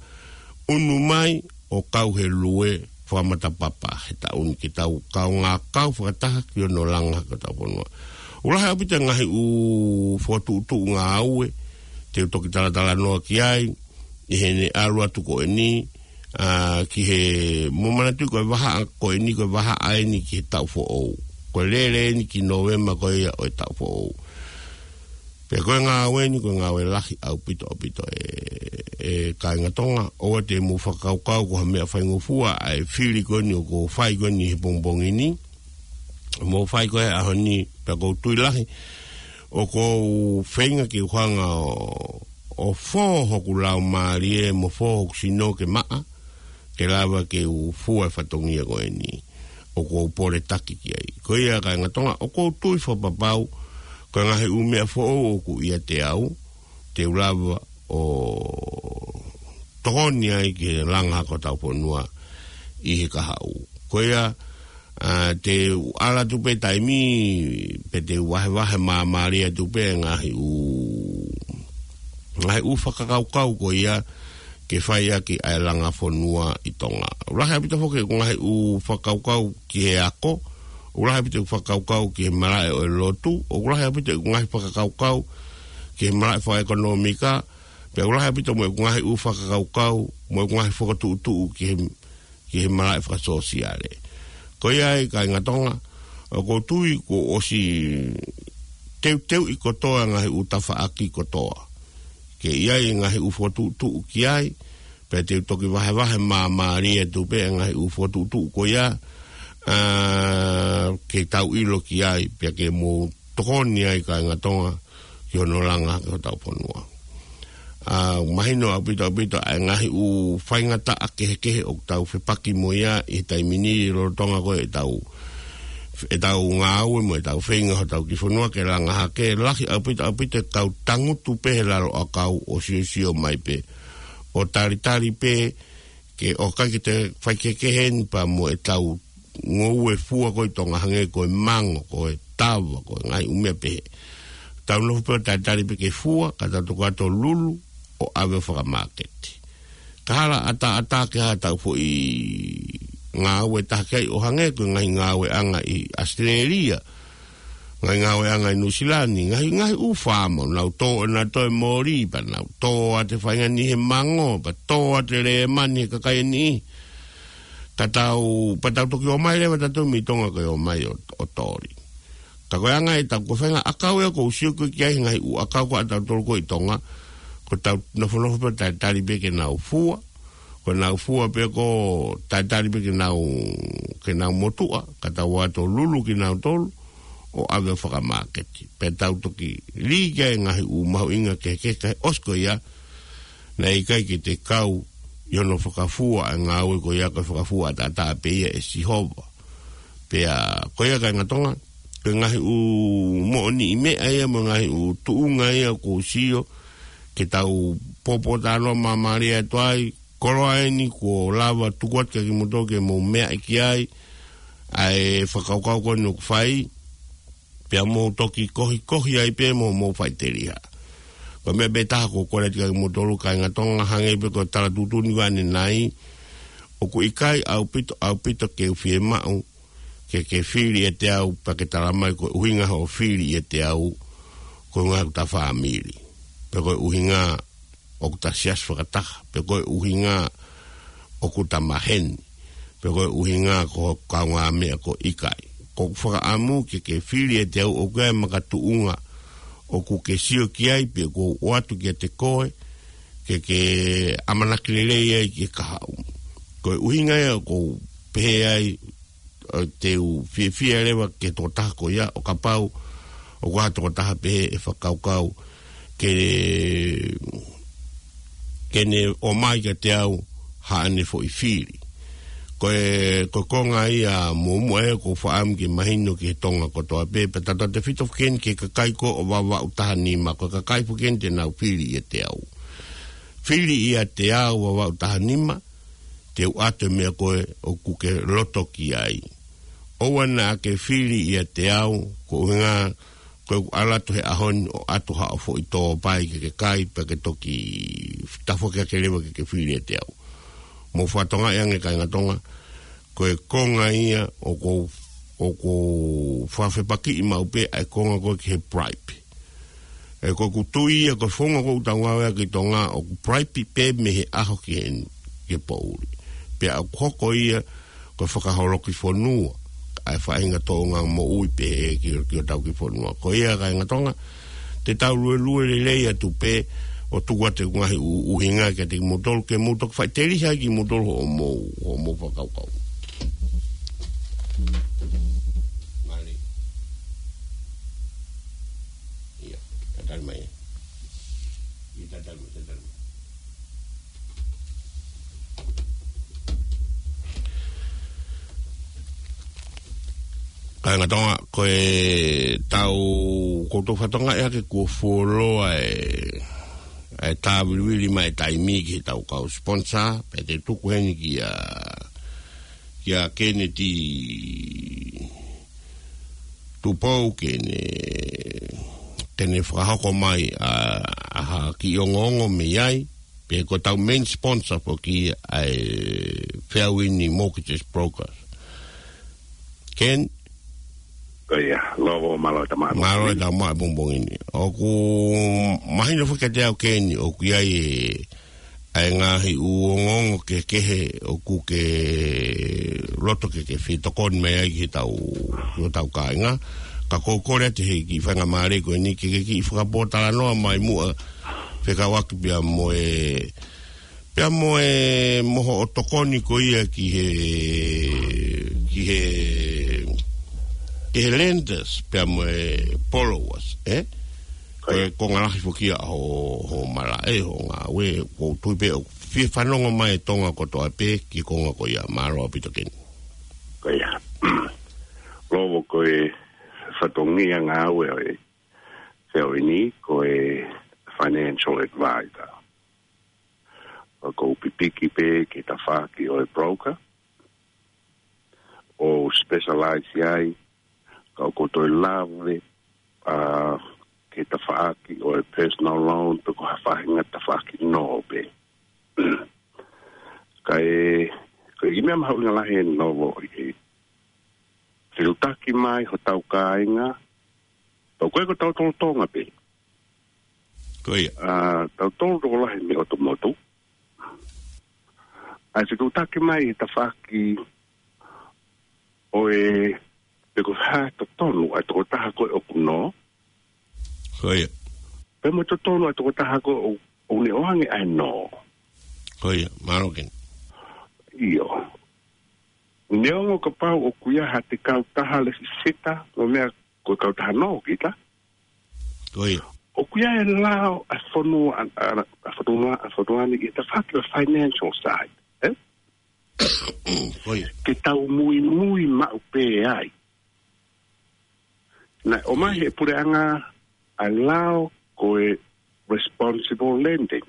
ʻunu mai ʻo kau he lue fakamatapapa he taʻu ni, ke tau kaungā kau fakataha ki hono langa hake hotau fonua. ʻOku lahi ʻaupito e ngaahi ʻū fokotuʻutuʻu ngāue, te u toki talatalanoa ki ai, ʻi heʻene ʻalu atu ko eni, ʻa, ki he, mou manatuʻi ko e vahaʻa ko eni, ko e vahaʻa eni ki he taʻu foʻou. Ko e lele eni ki Nōvema ko ia ʻo e taʻu foʻou. Pea ko e ngāue ni, ko e ngāue lahi ʻaupito, ʻaupito ē, ē kāinga Tonga, ʻoua te mou fakakaukau ko ha meʻa faingofua ʻa e fili ko eni ʻoku ou fai ko eni he pongipongi ni. Mou fai ko ē he ʻaho ni, pea ʻoku ou tui lahi, ʻoku ou feinga ke u hanga ʻo, ʻo fō hoku laumālie mo fō hoku sino ke maʻa, ke lava ke u fua e fatongia ko eni ʻoku ou poletaki ki ai. Ko ia kāinga Tonga, ʻoku ou tui fakapapau, ko e ngaahi ʻū meʻa foʻou ʻoku ʻiate au, te u lava ʻo tokoni ai ki he langa hake hotau fonua ʻi he kahaʻu. Ko ia, ʻa, te u ʻalu atu pē taimi, pea te u vahevahe māmālie atu pē ngaahi ʻū, ngaahi ʻū fakakaukau ko ia ke fai ʻaki ʻa e langa fonua ʻi Tonga. ʻOku lahi ʻaupito foki ʻeku ngaahi ʻū fakakaukau ki he ako, ʻoku lahi ʻaupito ʻeku fakakaukau ki he malaʻe ʻo e lotu, ʻoku lahi ʻaupito ʻeku ngaahi fakakaukau ki he malaʻe fakaʻekonōmika, pea ʻoku lahi ʻaupito mo ʻeku ngaahi ʻū fakakaukau, mo ʻeku ngaahi fokotuʻutuʻu ki he, ki he malaʻe fakasōsiale. Ko ia ai kāinga Tonga, ʻoku ou tui kuo ʻosi teuteuʻi kotoa ngaahi ʻū tafaʻaki kotoa. Ke ʻi ai ngaahi ʻū fokotuʻutuʻu ki ai, pea te u toki vahevahe māmālie atu pē ngaahi ʻū fokotuʻutuʻu ko ia, ʻa, ke tau ʻilo ki ai, pea ke mou tokoni ai kāinga Tonga, ki hono langa hake hotau fonua. ʻA, mahino ʻaupito, ʻaupito, ʻa e ngaahi ʻū faingataʻa kehekehe ʻoku tau fepaki mo ia ʻi he taimi ni lolotonga ko ē ʻetau, ʻetau ngāue mo ʻetau feinga hotau kiʻi fonua ke langa hake, lahi ʻaupito, ʻaupito e kau tangutu pē he lalo ʻakau ʻo siosio mai pē. ʻO talitali pē ke ʻoku ʻikai ke toe fai kehekehe eni pea mo ʻetau ngoue fua ko ē ʻi Tonga hangē ko e mango, ko e tava, ko e ngaahi ʻū meʻa pehē. Tau nofo pē ʻo talitali pē ke fua, ka tau toki ʻalu atu ʻo lulu, ʻo ʻave ʻo fakamāketi. Ka hala ʻataʻatā ke ʻai haʻatau foʻi ngāue taha ki ai ʻo hangē ko e ngaahi ngāueʻanga ʻi ʻAositelēlia, ngaahi ngāueʻanga ʻi Nuʻusila ni, ngaahi, ngaahi ʻū faama, nau tō ʻenau toe moli, pea nau tō atu e faʻahinga niʻihi he mango, pea tō atu e lēmani he kakai ʻe niʻihi. Ka tau, pea tau toki ō mai leva tautolu mei Tonga ko e ō mai ʻo, ʻo toli. Ka ko e anga ʻetau ko e faʻahinga ʻakau ia ʻoku ou sio ko ē ki ai he ngaahi ʻū ʻakau ko ē ʻatautolu ko ē ʻi Tonga, ko ʻetau nofonofo pē ʻo talitali pē ke nau fua, ko ʻenau fua pē ko ē talitali pē ke nau, ke nau motuʻa, ka tau ō atu ʻo lulu kinautolu, ʻo ʻave ʻo fakamāketi. Pea tau toki lī ki ai e ngaahi ʻū mahuʻinga kehekehe, ka ʻosi ko ia, naʻe ʻikai ke te kau ʻi hono fakafua ʻa e ngāue ko ia, ko e fakafua ʻataʻatā pē ia ʻe Sihova. Pea ko ia kāinga Tonga, ko e ngaahi ʻū moʻoniʻi meʻa ia mo e ngaahi ʻū tuʻunga ia ʻoku ou sio ke tau pōpōtalanoa māmālie atu ai, koloa eni kuo lava tuku atu kiate kimoutolu ke mou meaʻi ki ai, ʻa e fakakaukau ko eni ʻoku fai, pea mou toki kohikohi ai pē mo mou faʻiteliha. Ko e meʻa pē taha ʻoku ou kole atu kiate kimoutolu kāinga Tonga, hangē pē ko e tala tuʻutuʻuni ko ē ʻanenai, ʻoku ʻikai ʻaupito, ʻaupito ke u fiemaʻu ke ke fili ʻiate au, pea ke tala mai ko e ʻuhinga hoʻo fili ʻiate au, ko e ʻuhinga ʻoku ta fāmili. Pe ko e ʻuhinga ʻoku ta siasi fakataha. Pe ko e ʻuhinga ʻoku ta maheni. Pe ko e ʻuhinga ko e kaungāmeʻa ko e ʻikai. Ko ʻeku fakaʻamu ke ke fili ʻiate au ʻoku ʻi ai e makatuʻunga ʻoku ke sio ki ai pe ʻoku ou ʻoatu kiate koe, ke ke ʻamanaki lelei ai ki he kahaʻu. Ko e ʻuhinga ia ʻoku ou pehē ai, ʻo te u fiefia leva ki he tokotaha ko ia, ʻo kapau ʻoku ʻi ai ha tokotaha pehē ʻe fakakaukau ke, ke ne ʻomai kiate au haʻane foʻi fili. Ko e, ko e konga ia muʻomuʻa ē ʻoku ou fakaʻamu ke mahino ki he Tonga kotoa pē, pea tautautefito foki eni ki he kakai ko ē ʻo Vavaʻu taha nima, ko e kakai foki eni te nau fili ʻiate au. Fili ʻiate au Vavaʻu taha nima, te u ʻoatu e meʻa ko ē ʻoku ke loto ki ai. ʻOua naʻa ke fili ʻiate au, ko e ʻuhinga, ko ʻeku ʻalu atu he ʻaho ni ʻo ʻoatu haʻo foʻi tōpai ke ke kai, pea ke toki tafoki hake leva ke ke fili ʻiate au. Mou fakatokangaʻi ange kāinga Tonga, ko e konga ia ʻoku ou, ʻoku ou fakafepakiʻi maʻu pē ʻa e konga ko ē ki he bribe. ʻE, ko ʻeku tui ia ko e founga ʻoku tau ngāueʻaki ʻi Tonga ʻoku bribe pē mei he ʻaho ki he, ki he poʻuli. Pea ʻoku hoko ia ko e fakaholoki fonua, ʻa e faʻahinga tōʻonga moʻui pē ki, ki hotau kiʻi fonua. Ko ia kāinga Tonga, te tau luelue lelei atu pē ʻo tuku atu e ngaahi ʻu-, ʻuhinga kiate kimoutolu ke mou toki faʻiteliha ai kimoutolu hoʻomou, hoʻomou fakakaukau. Mālie. ʻIa, tatali mai. ʻIa, tatali mai, tatali mai. Kāinga Tonga, ko e tau, ko e tau fatongia ke kuo fuoloa e, e tāvilivilivili mai e taimi ki he tau kau sponsor, pea te u tuku heni kia, kia Kennedy Tupou ke ne, te ne fakahoko mai ʻa, ʻa ha kiʻi ongoongo mei ai, pe ko e tau main sponsor foki ʻa e Fairwind Mortgages Brokers. Ken? Ko ia, Lovo, mālō e tau maʻu. Mālō e tau maʻu e pongipongi ni. ʻOku mahino foki kiate au Ken, ʻoku ʻi ai e, ʻa e ngaahi ʻū ongoongo kehekehe ʻoku ke loto ke ke fetokoni mai ai ki he tau, ki he tau kāinga. Ka ʻoku ou kole atu he kiʻi faingamālie ko eni ke ke kiʻi fakapōtalanoa mai muʻa fekauʻaki pea mo e, pea mo e, mo hoʻo tokoni ko ia ki he, ki he, ki he lenders, pea mo e borrowers, ē? Ko e, ko e konga lahi foki ia ho, ho malaʻe, ho ngāue, ʻoku ou tui pē ʻoku fie fanongo mai e Tonga kotoa pē ki he konga ko ia. Mālō ʻaupito Ken. Ko ia. Lovo, ko e fatongia ngāue ʻo e Fairwind ko e financial advisor. ʻOku ou pipiki pē ki he tafaʻaki ʻo e broker, ʻo specialize ai, ka ʻoku ou toe lave, ʻa, ki he tafaʻaki ʻo e personal loan, pe ko ha faʻahinga tafaʻaki nō pē. Ka e, ko e kiʻi meʻa mahuʻinga lahi eni Lovo ʻi he fetuʻutaki mai hotau kāinga, pea ko e ko tautolu Tonga pē. Ko ia. ʻA, tautolu tokolahi mei ʻotu motu. ʻA e fetuʻutaki mai he tafaʻaki ʻo e pe ko e hā e totonu ʻa e tokotaha ko ē ʻoku nō. Ko ia. Pea mo e totonu ʻa e tokotaha ko ē ʻo, ʻoku ne ʻoange ʻa e nō. Ko ia, mālō Ken. ʻIo. Neongo kapau ʻoku ʻi ai haʻate kautaha lēsisita, mo e meʻa ko e kautaha nō kita. Ko ia. ʻOku ʻi ai e lao ʻa e fonua, ʻa, ʻa, ʻa e fonua, ʻa e fonua ni ʻi he tafaʻaki ʻo e financial side, ē? Ko ia. Ke tau muimui maʻu pē ai. Naʻe ʻomai he puleʻanga ʻa e lao ko e responsible lending.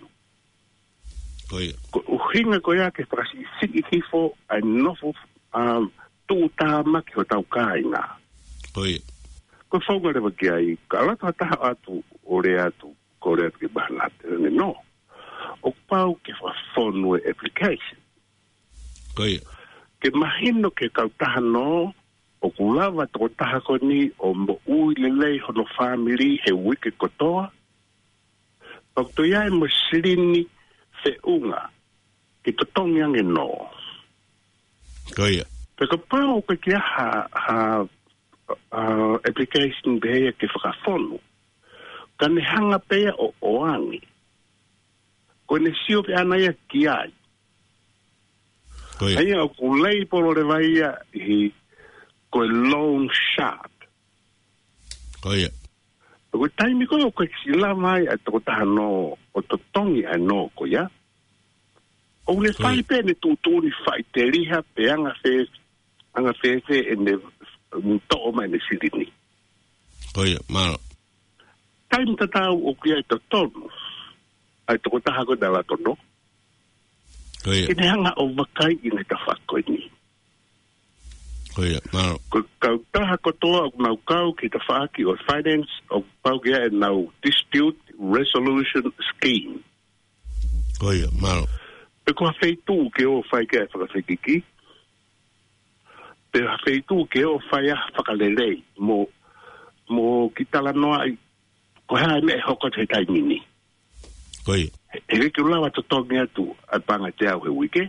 Ko ia. Ko e ʻuhinga ko ia ke fakasiʻisiʻi hifo ʻa e nofo, um, tuʻutāmaki hotau kāinga. Ko ia. Ko e founga leva ki ai, ka ʻalu atu ha taha ʻo ʻoatu ʻo lea atu, ko e lea atu ki he banate, ne nō. ʻOku pau ke fakafonu e application. Ko ia. Ke mahino ki he kautaha nō, ʻo ʻoku lava tokotaha ko eni ʻo moʻui lelei hono fāmili he uike kotoa, pea ʻoku toe ʻi ai mo e silini feʻunga ke totongi ange nō. Ko ia. Pea kapau ʻoku ʻikai ha, ha, ha application pehē ia ke fakafonu, ka ne hanga pē ia ʻo ʻoange. Ko ʻene sio pē ʻana ia ki ai. Ko ia. ʻA ia ʻoku label leva ia ʻi he ko e loan shark. Ko ia. Ko e taimi ko ē ʻoku ʻikai ke lava ai ʻa e tokotaha nō ʻo totongi ʻa e nō ko ia, ʻoku ne Ko ia. fai pē ʻene tuʻutuʻuni faʻiteliha pe anga fē, anga fēfē ʻene toʻo mai ʻene silini. Ko ia, mālō. Taimi tatau ʻoku ʻi ai e totonu ʻa e tokotaha ko ē naʻe lava ʻo totongi. Ko ia. Ke ne hanga ʻo vakaiʻi ʻene tafaʻaki ko eni. Ko ia, mālō. Ko e kautaha kotoa ʻoku nau kau ki he tafaʻaki ʻo e finance, ʻoku pau ke ʻi ai ʻenau dispute resolution scheme. Ko ia, mālō. Pe ko ha feituʻu ke ō ʻo fai ki ai e fakafekiki, pe ha feituʻu ke ō ʻo fai ai ha fakalelei, mo, mo kiʻi talanoaʻi ko e hā e meʻa ʻe hoko atu he taimi ni. Ko ia. He, he ʻikai ke u lava ʻo totongi atu ʻa e paʻanga ʻe teau he uike,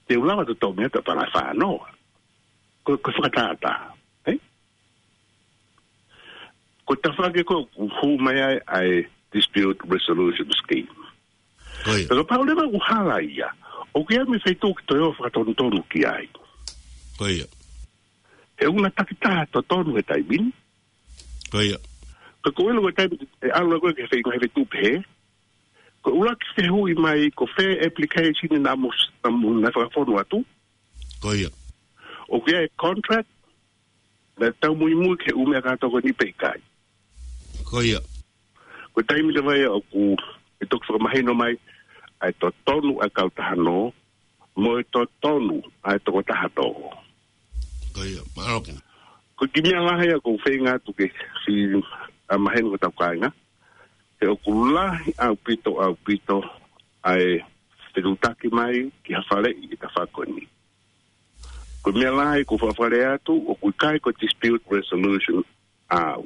te u lava ʻo totongi atu ʻa e paʻanga ʻe fā noa. Ko, ko e fakatātā, ē? Ko e tafaʻaki ko ē ʻoku hū mai ai ʻa e dispute resolution scheme. Ko ia. Pea kapau leva ʻoku hala ia, ʻoku ʻi ai mo e feituʻu ke toe ō ʻo fakatonutonu ki ai. Ko ia. He ʻoku na takitaha totonu he taimi ni. Ko ia. Ka ko e ʻilo ko e taimi ʻe ʻalu ko ē ki he feinga he feituʻu pehē, ko e ʻuluaki fehuʻi mai ko fē application naʻa mo, naʻa mo, naʻe fakafonu atu. Ko ia. ʻOku ʻi ai e contract, naʻe tau muimui ki he ʻū meʻa kātoa ko eni pe ʻikai. Ko ia. Ko e taimi leva ia ʻoku ʻe toki fakamahino mai ʻa e totonu ʻa e kautaha nō, mo e totonu ʻa e tokotaha nō. Ko ia, mālō. Ko e kiʻi meʻa lahi ia ʻoku ou feinga atu ke fie, ʻa, maheni ki hotau kāinga, he ʻoku lahi ʻaupito, ʻaupito ʻa e fetuʻutaki mai ki ha faleʻi ʻi he tafaʻaki ko eni. Ko e meʻa lahi ʻoku ou fakafaleʻi atu, ʻoku ʻikai ko e dispute resolution ʻaʻau.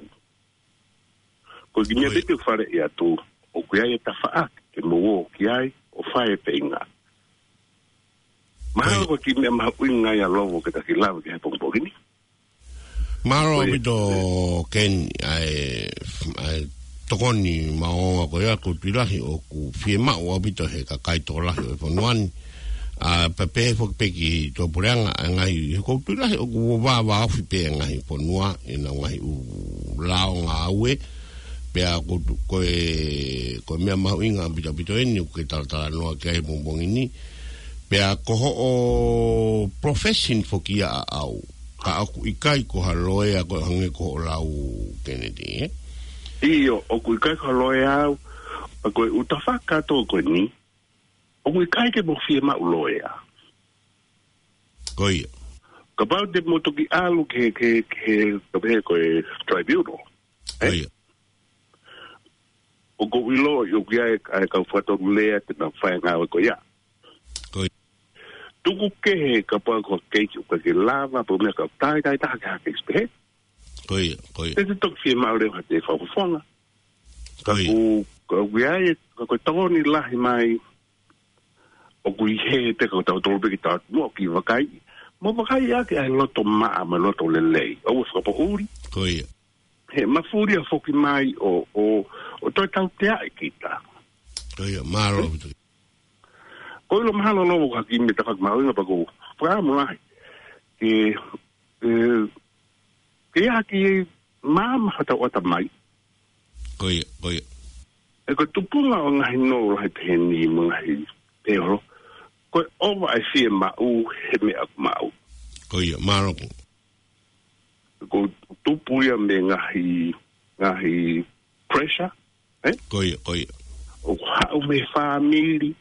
Ko e kiʻi meʻa Ko ia. pē te u faleʻi atu, ʻoku ʻi ai e tafaʻaki ke mou ō ki ai ʻo fai e feinga. Mahalo Ko ia. ko e kiʻi meʻa mahuʻinga ia Lovo ke ta kiʻi lave ki ai he pongipongi ni. Mālō Ko ia. ʻaupito Ken, ʻa e, ʻa e tokoni maʻongoʻonga ko ia, ʻoku ou tui lahi ʻoku fiemaʻu ʻaupito ʻe he kakai tokolahi ʻo e fonua ni. ʻA, pea pehē foki pē ki he tuʻapuleʻanga, ʻa e ngaahi, he ʻoku ou tui lahi ʻoku vāvāofi pē ʻa e ngaahi fonua ʻi heʻenau ngaahi ʻū lao ngāue. Pea ko, ko e, ko e meʻa mahuʻinga ʻaupito ʻaupito eni ʻoku ke talatalanoa ki ai he pongipongi ni. Pea ko hoʻo profession foki ia ʻaʻau. Ka ʻoku ʻikai ko ha loea ko e hangē ko hoʻo lau Kennedy, ē? ʻIo, ʻoku ʻikai ko ha loea au, ʻa ko e ʻū tafaʻaki kātoa ko eni, ʻoku ʻikai ke mo fiemaʻu loea. Ko ia. Kapau te mo toki ʻalu ki he, ki he, ki he, ka pehē ko e tribunal. Ko Ē? ia. ʻOku ou ʻilo, ʻoku ʻi ai, ʻa e kau fakatonu lea te nau fai e ngāue ko ia. Ko ia. Tuku kehe kapau ko e keisi ʻoku ʻikai ke lava, pe ko e meʻa ka taitai taha ki ha keisi pehē. Ko ia, ko ia. Te te toki fiemaʻu leva ha toe fakafofonga. Ka Ko ia. ʻoku, ka ʻoku ʻi ai, ka ko e tokoni lahi mai, ʻoku ʻi hē pē ka ko tautolu pē ke tau ō atu muʻa ʻo kiʻi vakai. Mo vakai ʻaki ʻa e loto maʻa, mo e loto lelei. ʻOua ʻe fakapoʻuli. Ko ia. He mafuli ʻa e foki mai ʻo, ʻo, ʻo toe tauteaʻi kita. Ko ia, mālō ʻaupito. Ko e ʻilo mahalo Lovo ko e kiʻi meʻa tafaʻaki mahuʻinga pea ʻoku ou fakaʻamu lahi ke, ē, ke ʻi ai ha kiʻi maama ha tau ʻatamai. Ko ia, ko ia. ʻE ko e tupunga ʻo e ngaahi nō lahi pehē ni mo e ngaahi peholo, ko e ʻova ʻa e fiemaʻu he meʻa ʻoku maʻu. Ko ia, mālō. ʻOku tupu ia mei he ngaahi, ngaahi pressure, ē? Ko ia, ko ia. ʻOku haʻu mei he fāmili,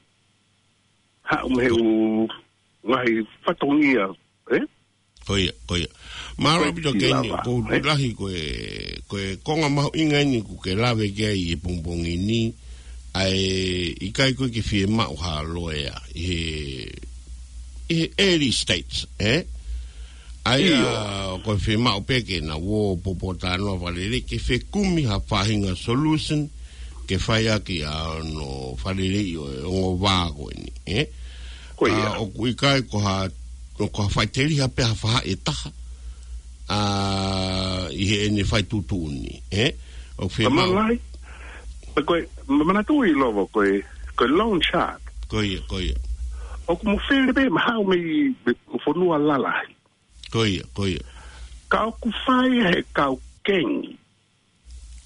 haʻu mei he ʻū ngaahi fatongia, ē? Ko ia, ko ia. Mālō ʻaupito Ken, ʻoku ou tui lahi ko e, ko e konga mahuʻinga eni ʻoku ke lave ki ai he pongipongi ni, ʻa e ʻikai ko e ke fiemaʻu ha loea ʻi he, ʻi he early stage, ē? ʻA ia, ʻio, ko e fiemaʻu pē ke na ō ʻo popotalanoa fakalelei, ke fekumi ha faʻahinga solution, ke fai ʻaki ʻa hono fakalelei ʻo e ongo vā ko eni, ē? Ko ia. ʻA, ʻoku ʻikai ko ha, ko ha faʻiteliha pē ha faʻahi ʻe taha, ʻa, ʻi heʻene fai tuʻutuʻuni, ē? ʻOku fiemaʻu. Ka manatu, ko e, ma-, manatuʻi Lovo, ko e, ko e loan shark. Ko ia, ko ia. ʻOku mo fele pē mahalo mei, mei fonua lalahi. Ko ia, ko ia. Ka ʻoku fai he kau kengi.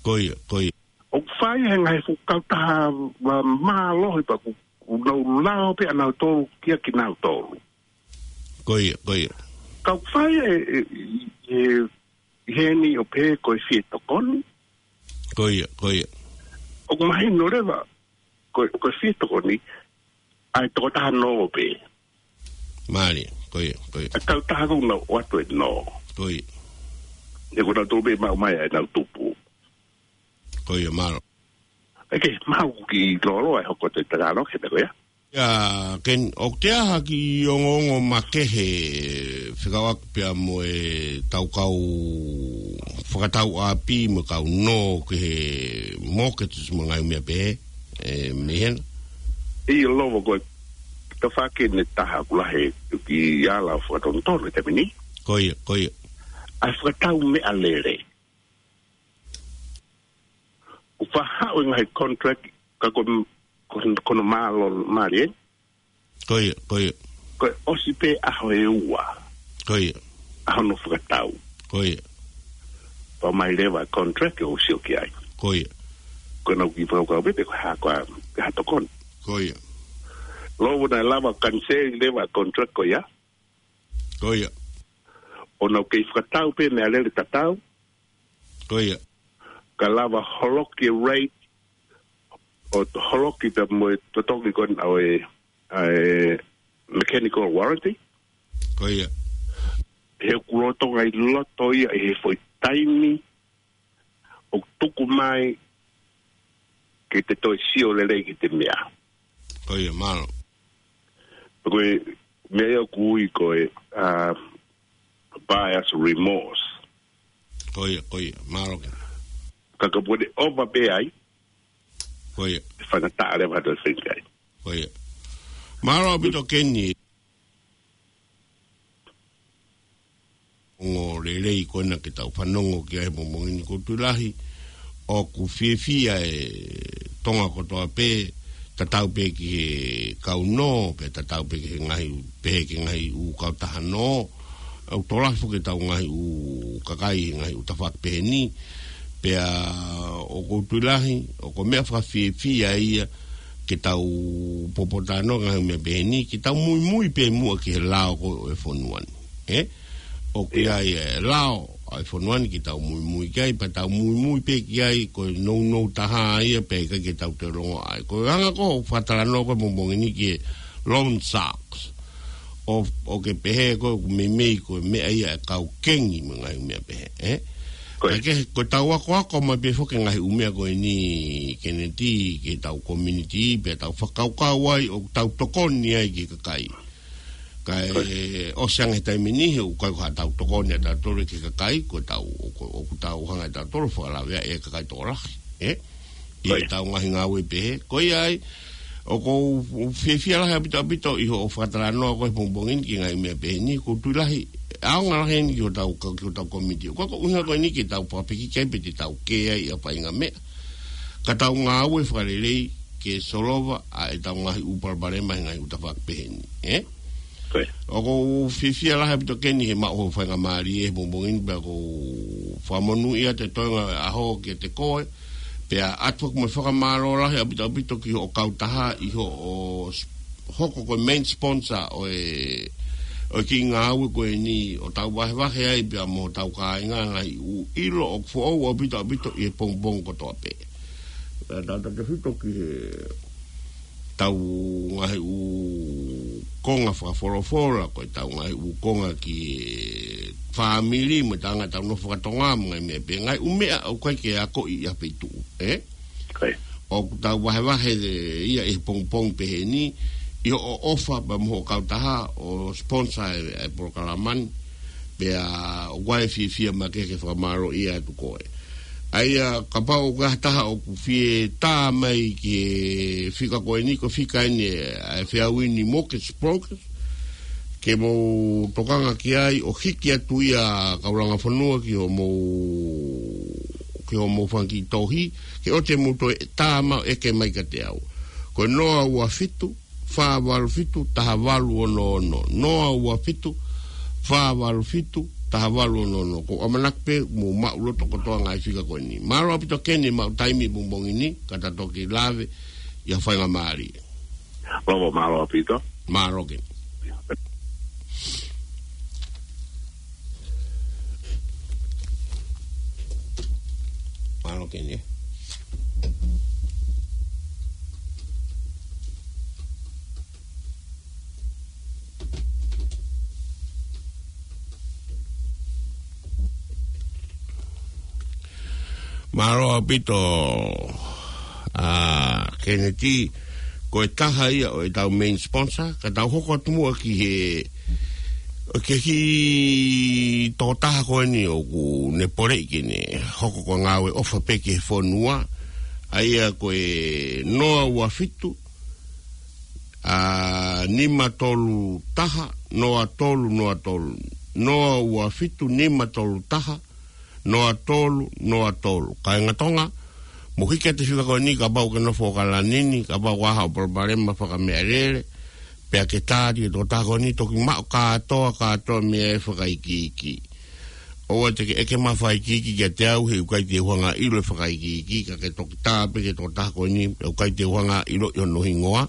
Ko ia, ko ia. ʻOku fai he ngaahi fuʻu kautaha ma-, mālohi pea ʻoku, ʻoku nau lao pē ʻanautolu kia kinautolu. Ko ia, ko ia. Ka ʻoku fai e, e, e, ʻi heni ʻo pehē ko e fie tokoni. Ko ia, ko ia. ʻOku mahino leva, ko, ko e fie tokoni, ʻa e tokotaha nō pē. Mālie, ko ia, ko ia. ʻA e kautaha ʻoku nau ʻoatu e nō. Ko ia. He ko nautolu pē maʻu mai ʻa ʻenau tupu. Ko ia, mālō. ʻOku mau kiʻi lōloa e hoko atu e talanoa ki he meʻa ko ia. ʻIa, Ken, ʻoku te ʻai ha kiʻi ongoongo makehe fekauʻaki pea mo e tau kau fakatau ʻapi mo e kau nō ki he mortgage mo e ngaahi meʻa pehē, ē, mei hena? ʻIo Lovo, ko e tafaʻaki ʻe taha ʻoku lahi e kiʻi ala fakatonutonu he taimi ni. Ko ia, ko ia. ʻA e fakatau meʻalele. ʻOku faʻa haʻu e ngaahi contract, ka ko, ko, ko hono mālō, mālie. Ko ia, ko ia. Ko e ʻosi pē ʻaho ʻe ua. Ko ia. ʻAho hono fakatau. Ko ia. Pea ʻomai leva e contract ʻo sio ki ai. Ko ia. Ko ʻenau kiʻi fakakaukau pē pe ko e hā, ko e hā, ko e hā tokoni. Ko ia. Lovo, naʻe lava ʻo kaniseli leva e contract ko ia. Ko ia. ʻO nau kei fakatau pē meʻalele tatau. Ko ia. Ka lava holoki e rate, ʻo holoki pē mo e totongi ko ena ʻo e, ʻa e mechanical warranty. Ko ia. He ʻoku lolotonga ʻi loto ia ʻi he foʻi taimi ʻoku tuku mai ke te toe sio lelei ki he meʻa. Ko ia, mālō. Ko e meʻa ia ʻoku ui ko e, ʻa, buyer's remorse. Ko ia, ko ia, mālō. Ka ka pone ova pē ai. Ko ia. Fanga taʻa leva to think ai. Ko ia. Mālō ʻaupito Keni. Ongo lelei ko ena ke tau fanongo ki ai he pongipongi ni, ko e tui lahi ʻoku fiefia e Tonga kotoa pē, tatau pē ki he kau nō, pea tatau pē ki he ngaahi, pehē ki he ngaahi ʻū kautaha nō, ʻoku tokolahi foki ʻetau ngaahi ʻū kakai he ngaahi ʻū tafaʻaki pehē ni, pea ʻoku ou tui lahi, ʻoku meʻa fakafiefia ia ke tau popotalanoa ngaahi meʻa pehē ni, ke tau muimui pē muʻa ki he lao ko ē ʻo e fonua ni. Ē? ʻOku ʻi ai e lao ʻa e fonua ni ke tau muimui ki ai, pea tau muimui pē ki ai, ko e nounou taha ia pē ʻikai ke tau toe longoaʻa ai. Ko e anga ko ē ʻoku fakatalanoa ko ē he pongipongi ni ki he loan sharks. ʻO, ʻoku ke pehē ko e ʻoku meimei ko e meʻa ia e kau kengi mo e ngaahi meʻa pehē, ē? Ko e. Ka ke, ko ʻetau akoako mai pē foki ngaahi ʻū meʻa ko eni Keneti, ki heʻetau community, pea tau fakakaukau ai, ʻoku tau tokoni ai ki he kakai. Kae ʻosi ange he taimi ni, he ʻoku ʻikai ko haʻatau tokoni ʻatautolu ki he kakai, ko ʻetau, ʻoku, ʻoku tau hanga ʻe tautolu ʻo fakalaveaʻi e kakai tokolahi, ē? ʻI heʻetau ngaahi ngāue pehē. Ko ia ai, ʻoku ou fiefia lahi ʻaupito ʻaupito ʻi hoʻo fakatalanoa ko ē he pongipongi ni ki he ngaahi meʻa pehē ni, ʻoku ou tui lahi, ʻaonga lahi eni ki hotau, ki hotau community. ʻOku ʻikai ko e ʻuhinga ko eni ke tau fakapikiki ai pe te tau kē ai ʻi ha faʻahinga meʻa. Ka tau ngāue fakalelei ke solova ʻa ʻetau ngaahi ʻū palopalema he ngaahi ʻū tafaʻaki pehē ni, ē? Ko ia. ʻOku ou fiefia lahi ʻaupito Keni he maʻu hoʻo faingamālie he pongipongi ni pea ʻoku ou fakamonūʻia atu e toenga ʻo e ʻaho kiate koe, pea ʻoatu foki mo e fakamālō lahi ʻaupito ʻaupito ki hoʻo kautaha ʻi hoʻo s-, hoko ko e main sponsor ʻo e, ʻo e kiʻi ngāue ko eni ʻo tau vahevahe ai pea mo hotau kāinga ngaahi ʻū ʻilo ʻoku foʻou ʻaupito ʻaupito ʻi he pongipongi kotoa pē. Pea tautautefito ki heʻetau ngaahi ʻū konga fakafolofola, ko ʻetau ngaahi ʻū konga ki he fāmili, mo e anga ʻetau nofo fakatonga, mo e ngaahi meʻa pehē, ngaahi ʻū meʻa ʻoku ʻikai ke akoʻi ʻi ha feituʻu, ē? Ko ia. ʻOku tau vahevahe ia ʻi he pongipongi pehē ni, ʻi hoʻo ʻofa pea mo hoʻo kautaha ʻo sponsor e, e polokalama ni. Pea ʻoku ʻi ai e fiefia makehe ke fakamālōʻia atu koe. ʻA ia kapau ʻoku ʻi ai ha taha ʻoku fie tā mai ki he fika ko eni, ko e fika eni ʻa e Feauini Mortgage Brokers, ke mou tokanga ki ai ʻo hiki atu ia kaulanga fonua ki hoʻomou, ki hoʻomou fanga kiʻi tohi, ke ʻoua te mou toe tā mai ʻo ʻeke mai kiate au. Ko e noa ua fitu, fā valu fitu, taha valu ono ono. Noa ua fitu, fā valu fitu, taha valu ono ono. Ko e ʻamanaki pē mou maʻu loto kotoa ngaahi fika ko eni. Mālō ʻaupito Keni maʻu taimi pongipongi ni, ka ta toki lave ʻi ha faingamālie. Mālō, mālō ʻaupito. Mālō Keni. Mālō Keni. Mālō ʻaupito, ʻa, Keneti, ko e taha ia ʻo ʻetau main sponsor, ka tau hoko atu muʻa ki he, ʻo e kiʻi tokotaha ko eni ʻoku ne poleʻi ke ne hoko ko e ngāue ʻofa pē ki he fonua, ʻa ia ko e noa ua fitu, ʻa, nima tolu taha, noa tolu noa tolu. Noa ua fitu, nima tolu taha, noa tolu noa tolu. Kāinga Tonga, mou hiki atu e fika ko eni kapau ʻoku ke nofo ʻAokalani ni, kapau ʻoku ʻi ai haʻo palopalema fakameʻalele, pea ke tā atu ki he tokotaha ko eni, toki maʻu kātoa, kātoa e meʻa ʻe fakaikiiki. ʻOua te ke ʻeke mai ha fakaikiiki kiate au, he ʻoku ʻikai te u hanga ʻo ʻilo e fakaikiiki, ka ke toki tā pē ki he tokotaha ko eni, he ʻoku ʻikai te u hanga ʻo ʻiloʻi hono hingoa,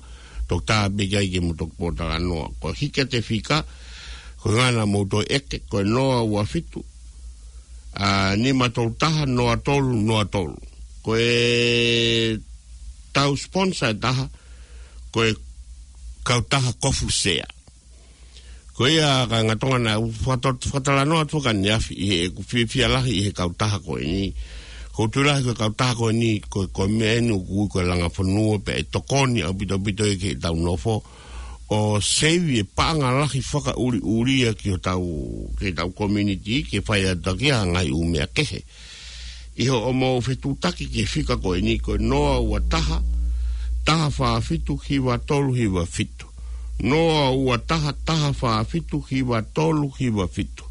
toki tā pē ki ai ke mou toki pōtalanoa. Ko e hiki atu e fika, ko e ʻuhinga naʻa mou toe ʻeke, ko e noa ua fitu, ʻa, nima tolu taha, noa tolu noa tolu. Ko ʻetau sponsor ʻe taha, ko e kautaha Kofu Sea. Ko ia kāinga Tonga, naʻa ku fakato-, fakatalanoa atu ʻaneafi ʻi heʻeku fiefia lahi ʻi he kautaha ko eni. Ko u tui lahi ko e kautaha ko eni, ko, ko e meʻa eni ʻoku ui ko e langa fonua pea ʻe tokoni ʻaupito ʻaupito ia ki heʻetau nofo. ʻO seivi e paʻanga lahi fakaʻuliʻulia ki hotau, ki heʻetau community, ke fai atu ki ai ha ngaahi ʻū meʻa kehe. ʻI hoʻomou fetuʻutaki ki he fika ko eni ko e noa ua taha, taha fā fitu, hiva tolu hiva fitu. Noa ua taha, taha fā fitu, hiva tolu hiva fitu.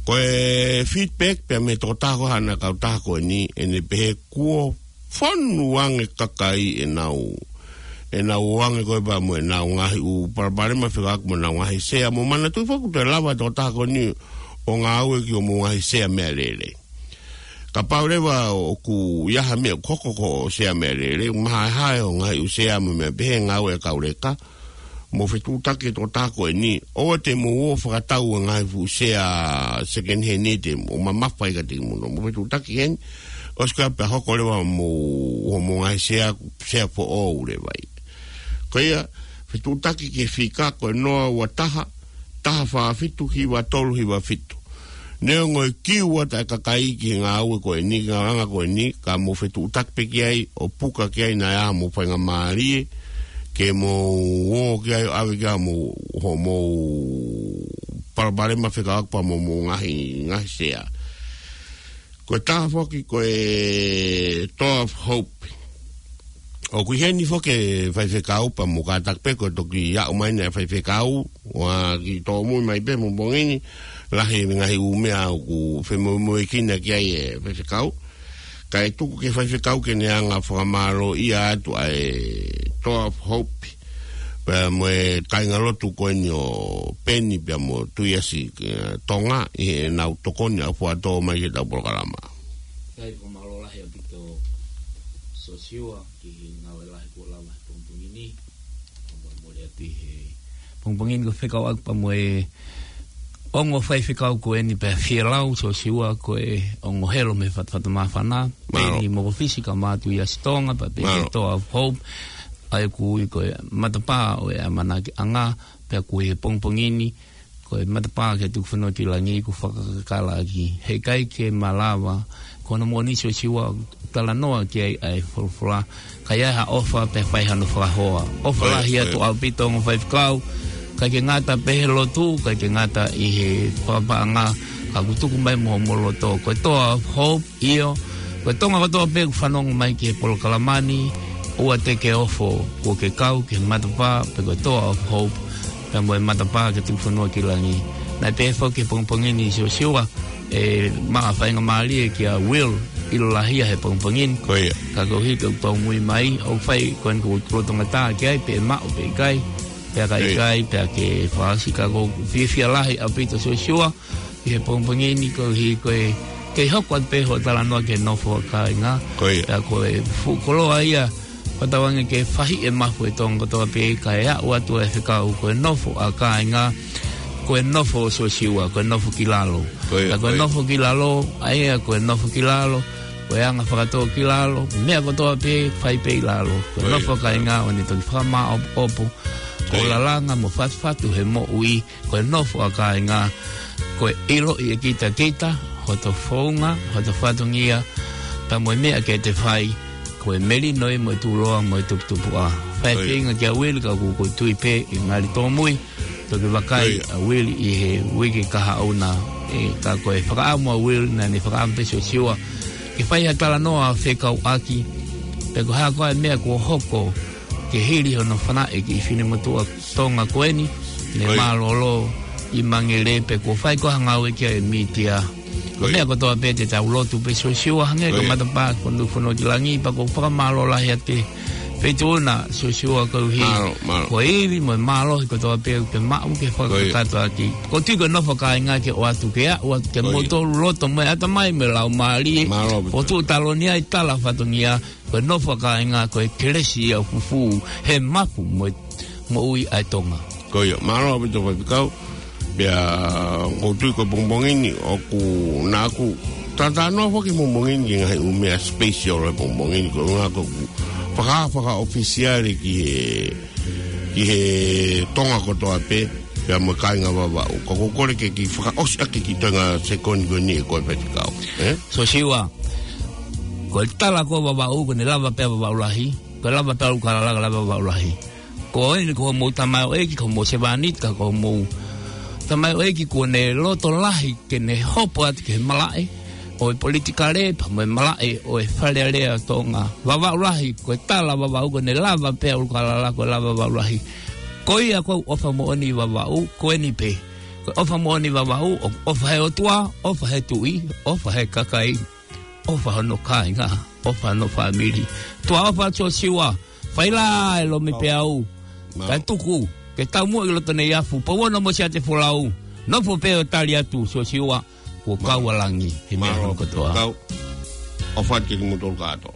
Ko e feedback pea mei he tokotaha ko ē ʻi he kautaha ko eni, ʻene pehē kuo fonu ange kakai ʻenau, ʻenau ō ange ko ē pea mo ʻenau ngaahi ʻū palopalema fekauʻaki mo ʻenau ngaahi sea. Mou manatuʻi foki ʻoku toe lava e tokotaha ko eni ʻo ngāue ki hoʻomou ngaahi sea meʻalele. Kapau leva ʻoku ʻi ai ha meʻa ʻoku hoko ko e sea meʻalele, ʻoku mahaehae hoʻo ngaahi ʻū sea mo e meʻa pehē, ngāue ʻa e kau leka, mou fetuʻutaki ki he tokotaha ko eni, ʻoua te mou ō ʻo fakatau e ngaahi fuʻu sea second hand ʻe te mou mamafa ai kiate kimoutolu. Mou fetuʻutaki heni, ʻosi ko ia pea hoko leva hoʻomou, hoʻomou ngaahi sea, sea foʻou leva ia. Ko ia, fetuʻutaki ki he fika ko e noa ua taha, taha fā fitu, hiva tolu hiva fitu. Neongo e kiu atu e kakai ki he ngāue ko eni, ngāue anga ko eni, ka mou fetuʻutaki pē ki ai, ʻo puka ki ai naʻa ʻi ai haʻamou faingamālie, ke mou ō ki ai ʻo ʻave ki ai hoʻomou, hoʻomou palopalema fekauʻaki pea mo hoʻomou ngaahi, ngaahi sea. Ko e taha foki ko e Door of Hope. ʻOku ʻi heni foki e faifekau pea mou kātaki pē ko e toki aʻu mai eni e faifekau, ʻoku kiʻi tōmui mai pē he pongipongi ni, lahi e ngaahi ʻū meʻa ʻoku femoemoeʻaki ki ai e faifekau. Kae tuku ki he faifekau ke ne hanga ʻo fakamālōʻia atu ʻa e Door of Hope. Pea mo e kāingalotu ko eni ʻo Peni pea mo Tuiasi, ē, Tonga, ʻi heʻenau tokoni ʻaupito mai ki heʻetau polokalama. Kae fakamālō lahi ʻaupito Sosiua ki he ngāue lahi kuo lava he pongipongi ni. Kae mole atu he pongipongi ni ko e fekauʻaki pea mo e ongo faifekau ko eni pea Fielau Sosiua ko e ongo helo mei Fatafata Māfana. Mālō. Peni mo Fisi kae ʻumaʻā Tuiasi Tonga pea pehē ki he Door of Hope. ʻA ia ʻoku ui ko e matapā ʻo e ʻamanakiʻanga, pea ʻoku ui he pongipongi ni ko e matapā ki he Tukufonua ki langi kuo fakakakala ʻaki. He ʻikai ke malava, ko hono moʻoni Sosiua, talanoa ki ai ʻa e folofola, ka ʻi ai ha ʻofa pea fai hano fakahoa. ʻOfa lahi atu ʻaupito ongo faifekau, ʻIkai ke ngata pē he lotu, ʻikai ke ngata ʻi he papaʻanga, ka ʻoku tuku mai mo homo loto. Ko e Toa of Hope, ʻio. Ko e Tonga kotoa pē ʻoku fanongo mai ki he polokalama ni, ʻoua te ke ofo, kuo ke kau ki he matapā, pe ko e Toa of Hope, pea mo e matapā ke tuku fonua ki langi. Naʻe pehē foki he pongipongi ni Siosiua, ʻe maʻu ha faingamālie kia Will, ʻilo lahi ia he pongipongi ni. Ko ia. Ka koeʻuhi ko e tau mui mai, ʻoku fai ko eni ko e loto ngata ki ai, pe maʻu pe ʻikai, pea ka Ko ia. ʻikai, pea ke fasi ka ʻoku fiefia lahi ʻaupito Siosiua, ʻi he pongipongi ni koeʻuhi ko e, kei hoko atu pē hoʻo talanoa ki he nofo ʻa kāinga. Ko ia. Pea ko e fuʻu koloa ia, ko e tauange ke fahi e mafu e Tonga kotoa pē, kae aʻu atu e fekau ko e nofo ʻa kāinga, ko e nofo ʻo Siosiua, ko e nofo ki lalo. Ko ia, Pea ko e ko ia. nofo ki lalo, ʻa ia ko e nofo ki lalo, ko e anga fakatō ki lalo, meʻa kotoa pē, fai pē ʻi lalo. Ko e Ko ia. nofo ʻa kāinga ʻoku ne toki fakamāʻopoʻopo, Ko ia. ʻo lalanga mo fatufatu he moʻui, ko e nofo ʻa kāinga, ko e ʻiloʻi ʻe kitakita, hoto founga, hoto fatongia, pea mo e meʻa ke te fai, ko e melino ia mo e tuʻuloa mo e tuputupuʻa. Fai Ko ia. feinga kia Will ka ʻoku ou tui pē ʻe ngali tōmui, toki vakai Ko ia. ʻa Will ʻi he uike kahaʻu na, ʻe, ka ko e fakaʻamu ʻa Will naʻa ne fakaʻamu pē Siosiua, ke fai ha talanoa fekauʻaki, pe ko e hā koā e meʻa kuo hoko, ke hili hono fanaʻi e kiʻi finemotuʻa Tonga ko eni, ne Ko ia. mālōlō ʻi Mangere pe kuo fai koā ha ngāue ki ai e mītia. Ko Ko ia. meʻa kotoa pē te tau lotu pē Siosiua hangē Ko ko ia. matapā ko nu fono ki langi pea ʻoku ou fakamālō lahi atu ki he feituʻu na Siosiua koeʻuhi. Mālō, mālō. Ko e ivi mo e mālohi kotoa pē ʻoku ke maʻu ke Ko ia. fakakakato ʻaki. ʻOku ou tui ko e nofo ʻa kāinga ke ʻoatu ke aʻu atu kia Ko ia. moutolu loto mo e ʻatamai mo e laumālie. Mālō, Pita. ʻOku ou tui taloni ai tala fatongia. Ko e nofo ʻa kāinga, ko e kelesi ia ʻoku fufū he mafu mo e moʻui ʻa e Tonga. Ko ia, mālō ʻaupito Faifekau. Pea ʻoku ou tui ko e pongipongi ni, ʻoku naʻa ku talanoa foki he pongipongi ni ki he ngaahi ʻū meʻa special he pongipongi ni, ko e ʻuhinga ko ʻeku faka-, fakaʻofisiale ki he, ki he Tonga kotoa pē, pea mo e kāinga Vavaʻu. Ka ʻoku ou kole ke ke fakaʻosi ʻaki e kiʻi toenga sekoni ko eni ʻe koe Faifekau. Ē? Siosiua, ko e tala ko Vavaʻu, ʻoku ne lava pē ʻa Vavaʻu Lahi, ko e lava pē ʻa ʻUlukalala, ko e lava Vavaʻu Lahi. Ko eni ko hoʻomou tamaioʻeiki, ko hoʻomou sevāniti, ka ko hoʻomou tamaioʻeiki kuo ne loto lahi ke ne hopo atu ki he malaʻe ʻo e politikale, pea mo e malaʻe ʻo e Fale Alea ʻo Tonga. Vavaʻu Lahi, ko e tala Vavaʻu, ʻoku ne lava pē ʻa ʻUlukalala, ko e lava Vavaʻu Lahi. Ko ia ko e ʻofa moʻoni Vavaʻu, ko eni pē. Ko e ʻofa moʻoni Vavaʻu, ʻoku ʻofa he ʻOtua, ʻofa he tuʻi, ʻofa he kakai, ʻofa hono kāinga, ʻofa hono fāmili. Tuʻa ʻofa Siosiua, fai lā e lomi Mālō. peau. Mālō. Kae tuku, ke tau muʻa ʻi loto nei afu, pau ono mo Siate Folau. Nofo pē ʻo tali atu Siosiua, kuo Mālō. kau ʻa langi, he meʻa Mālō. hono kotoa. Kau. ʻOfa atu kimoutolu kātoa.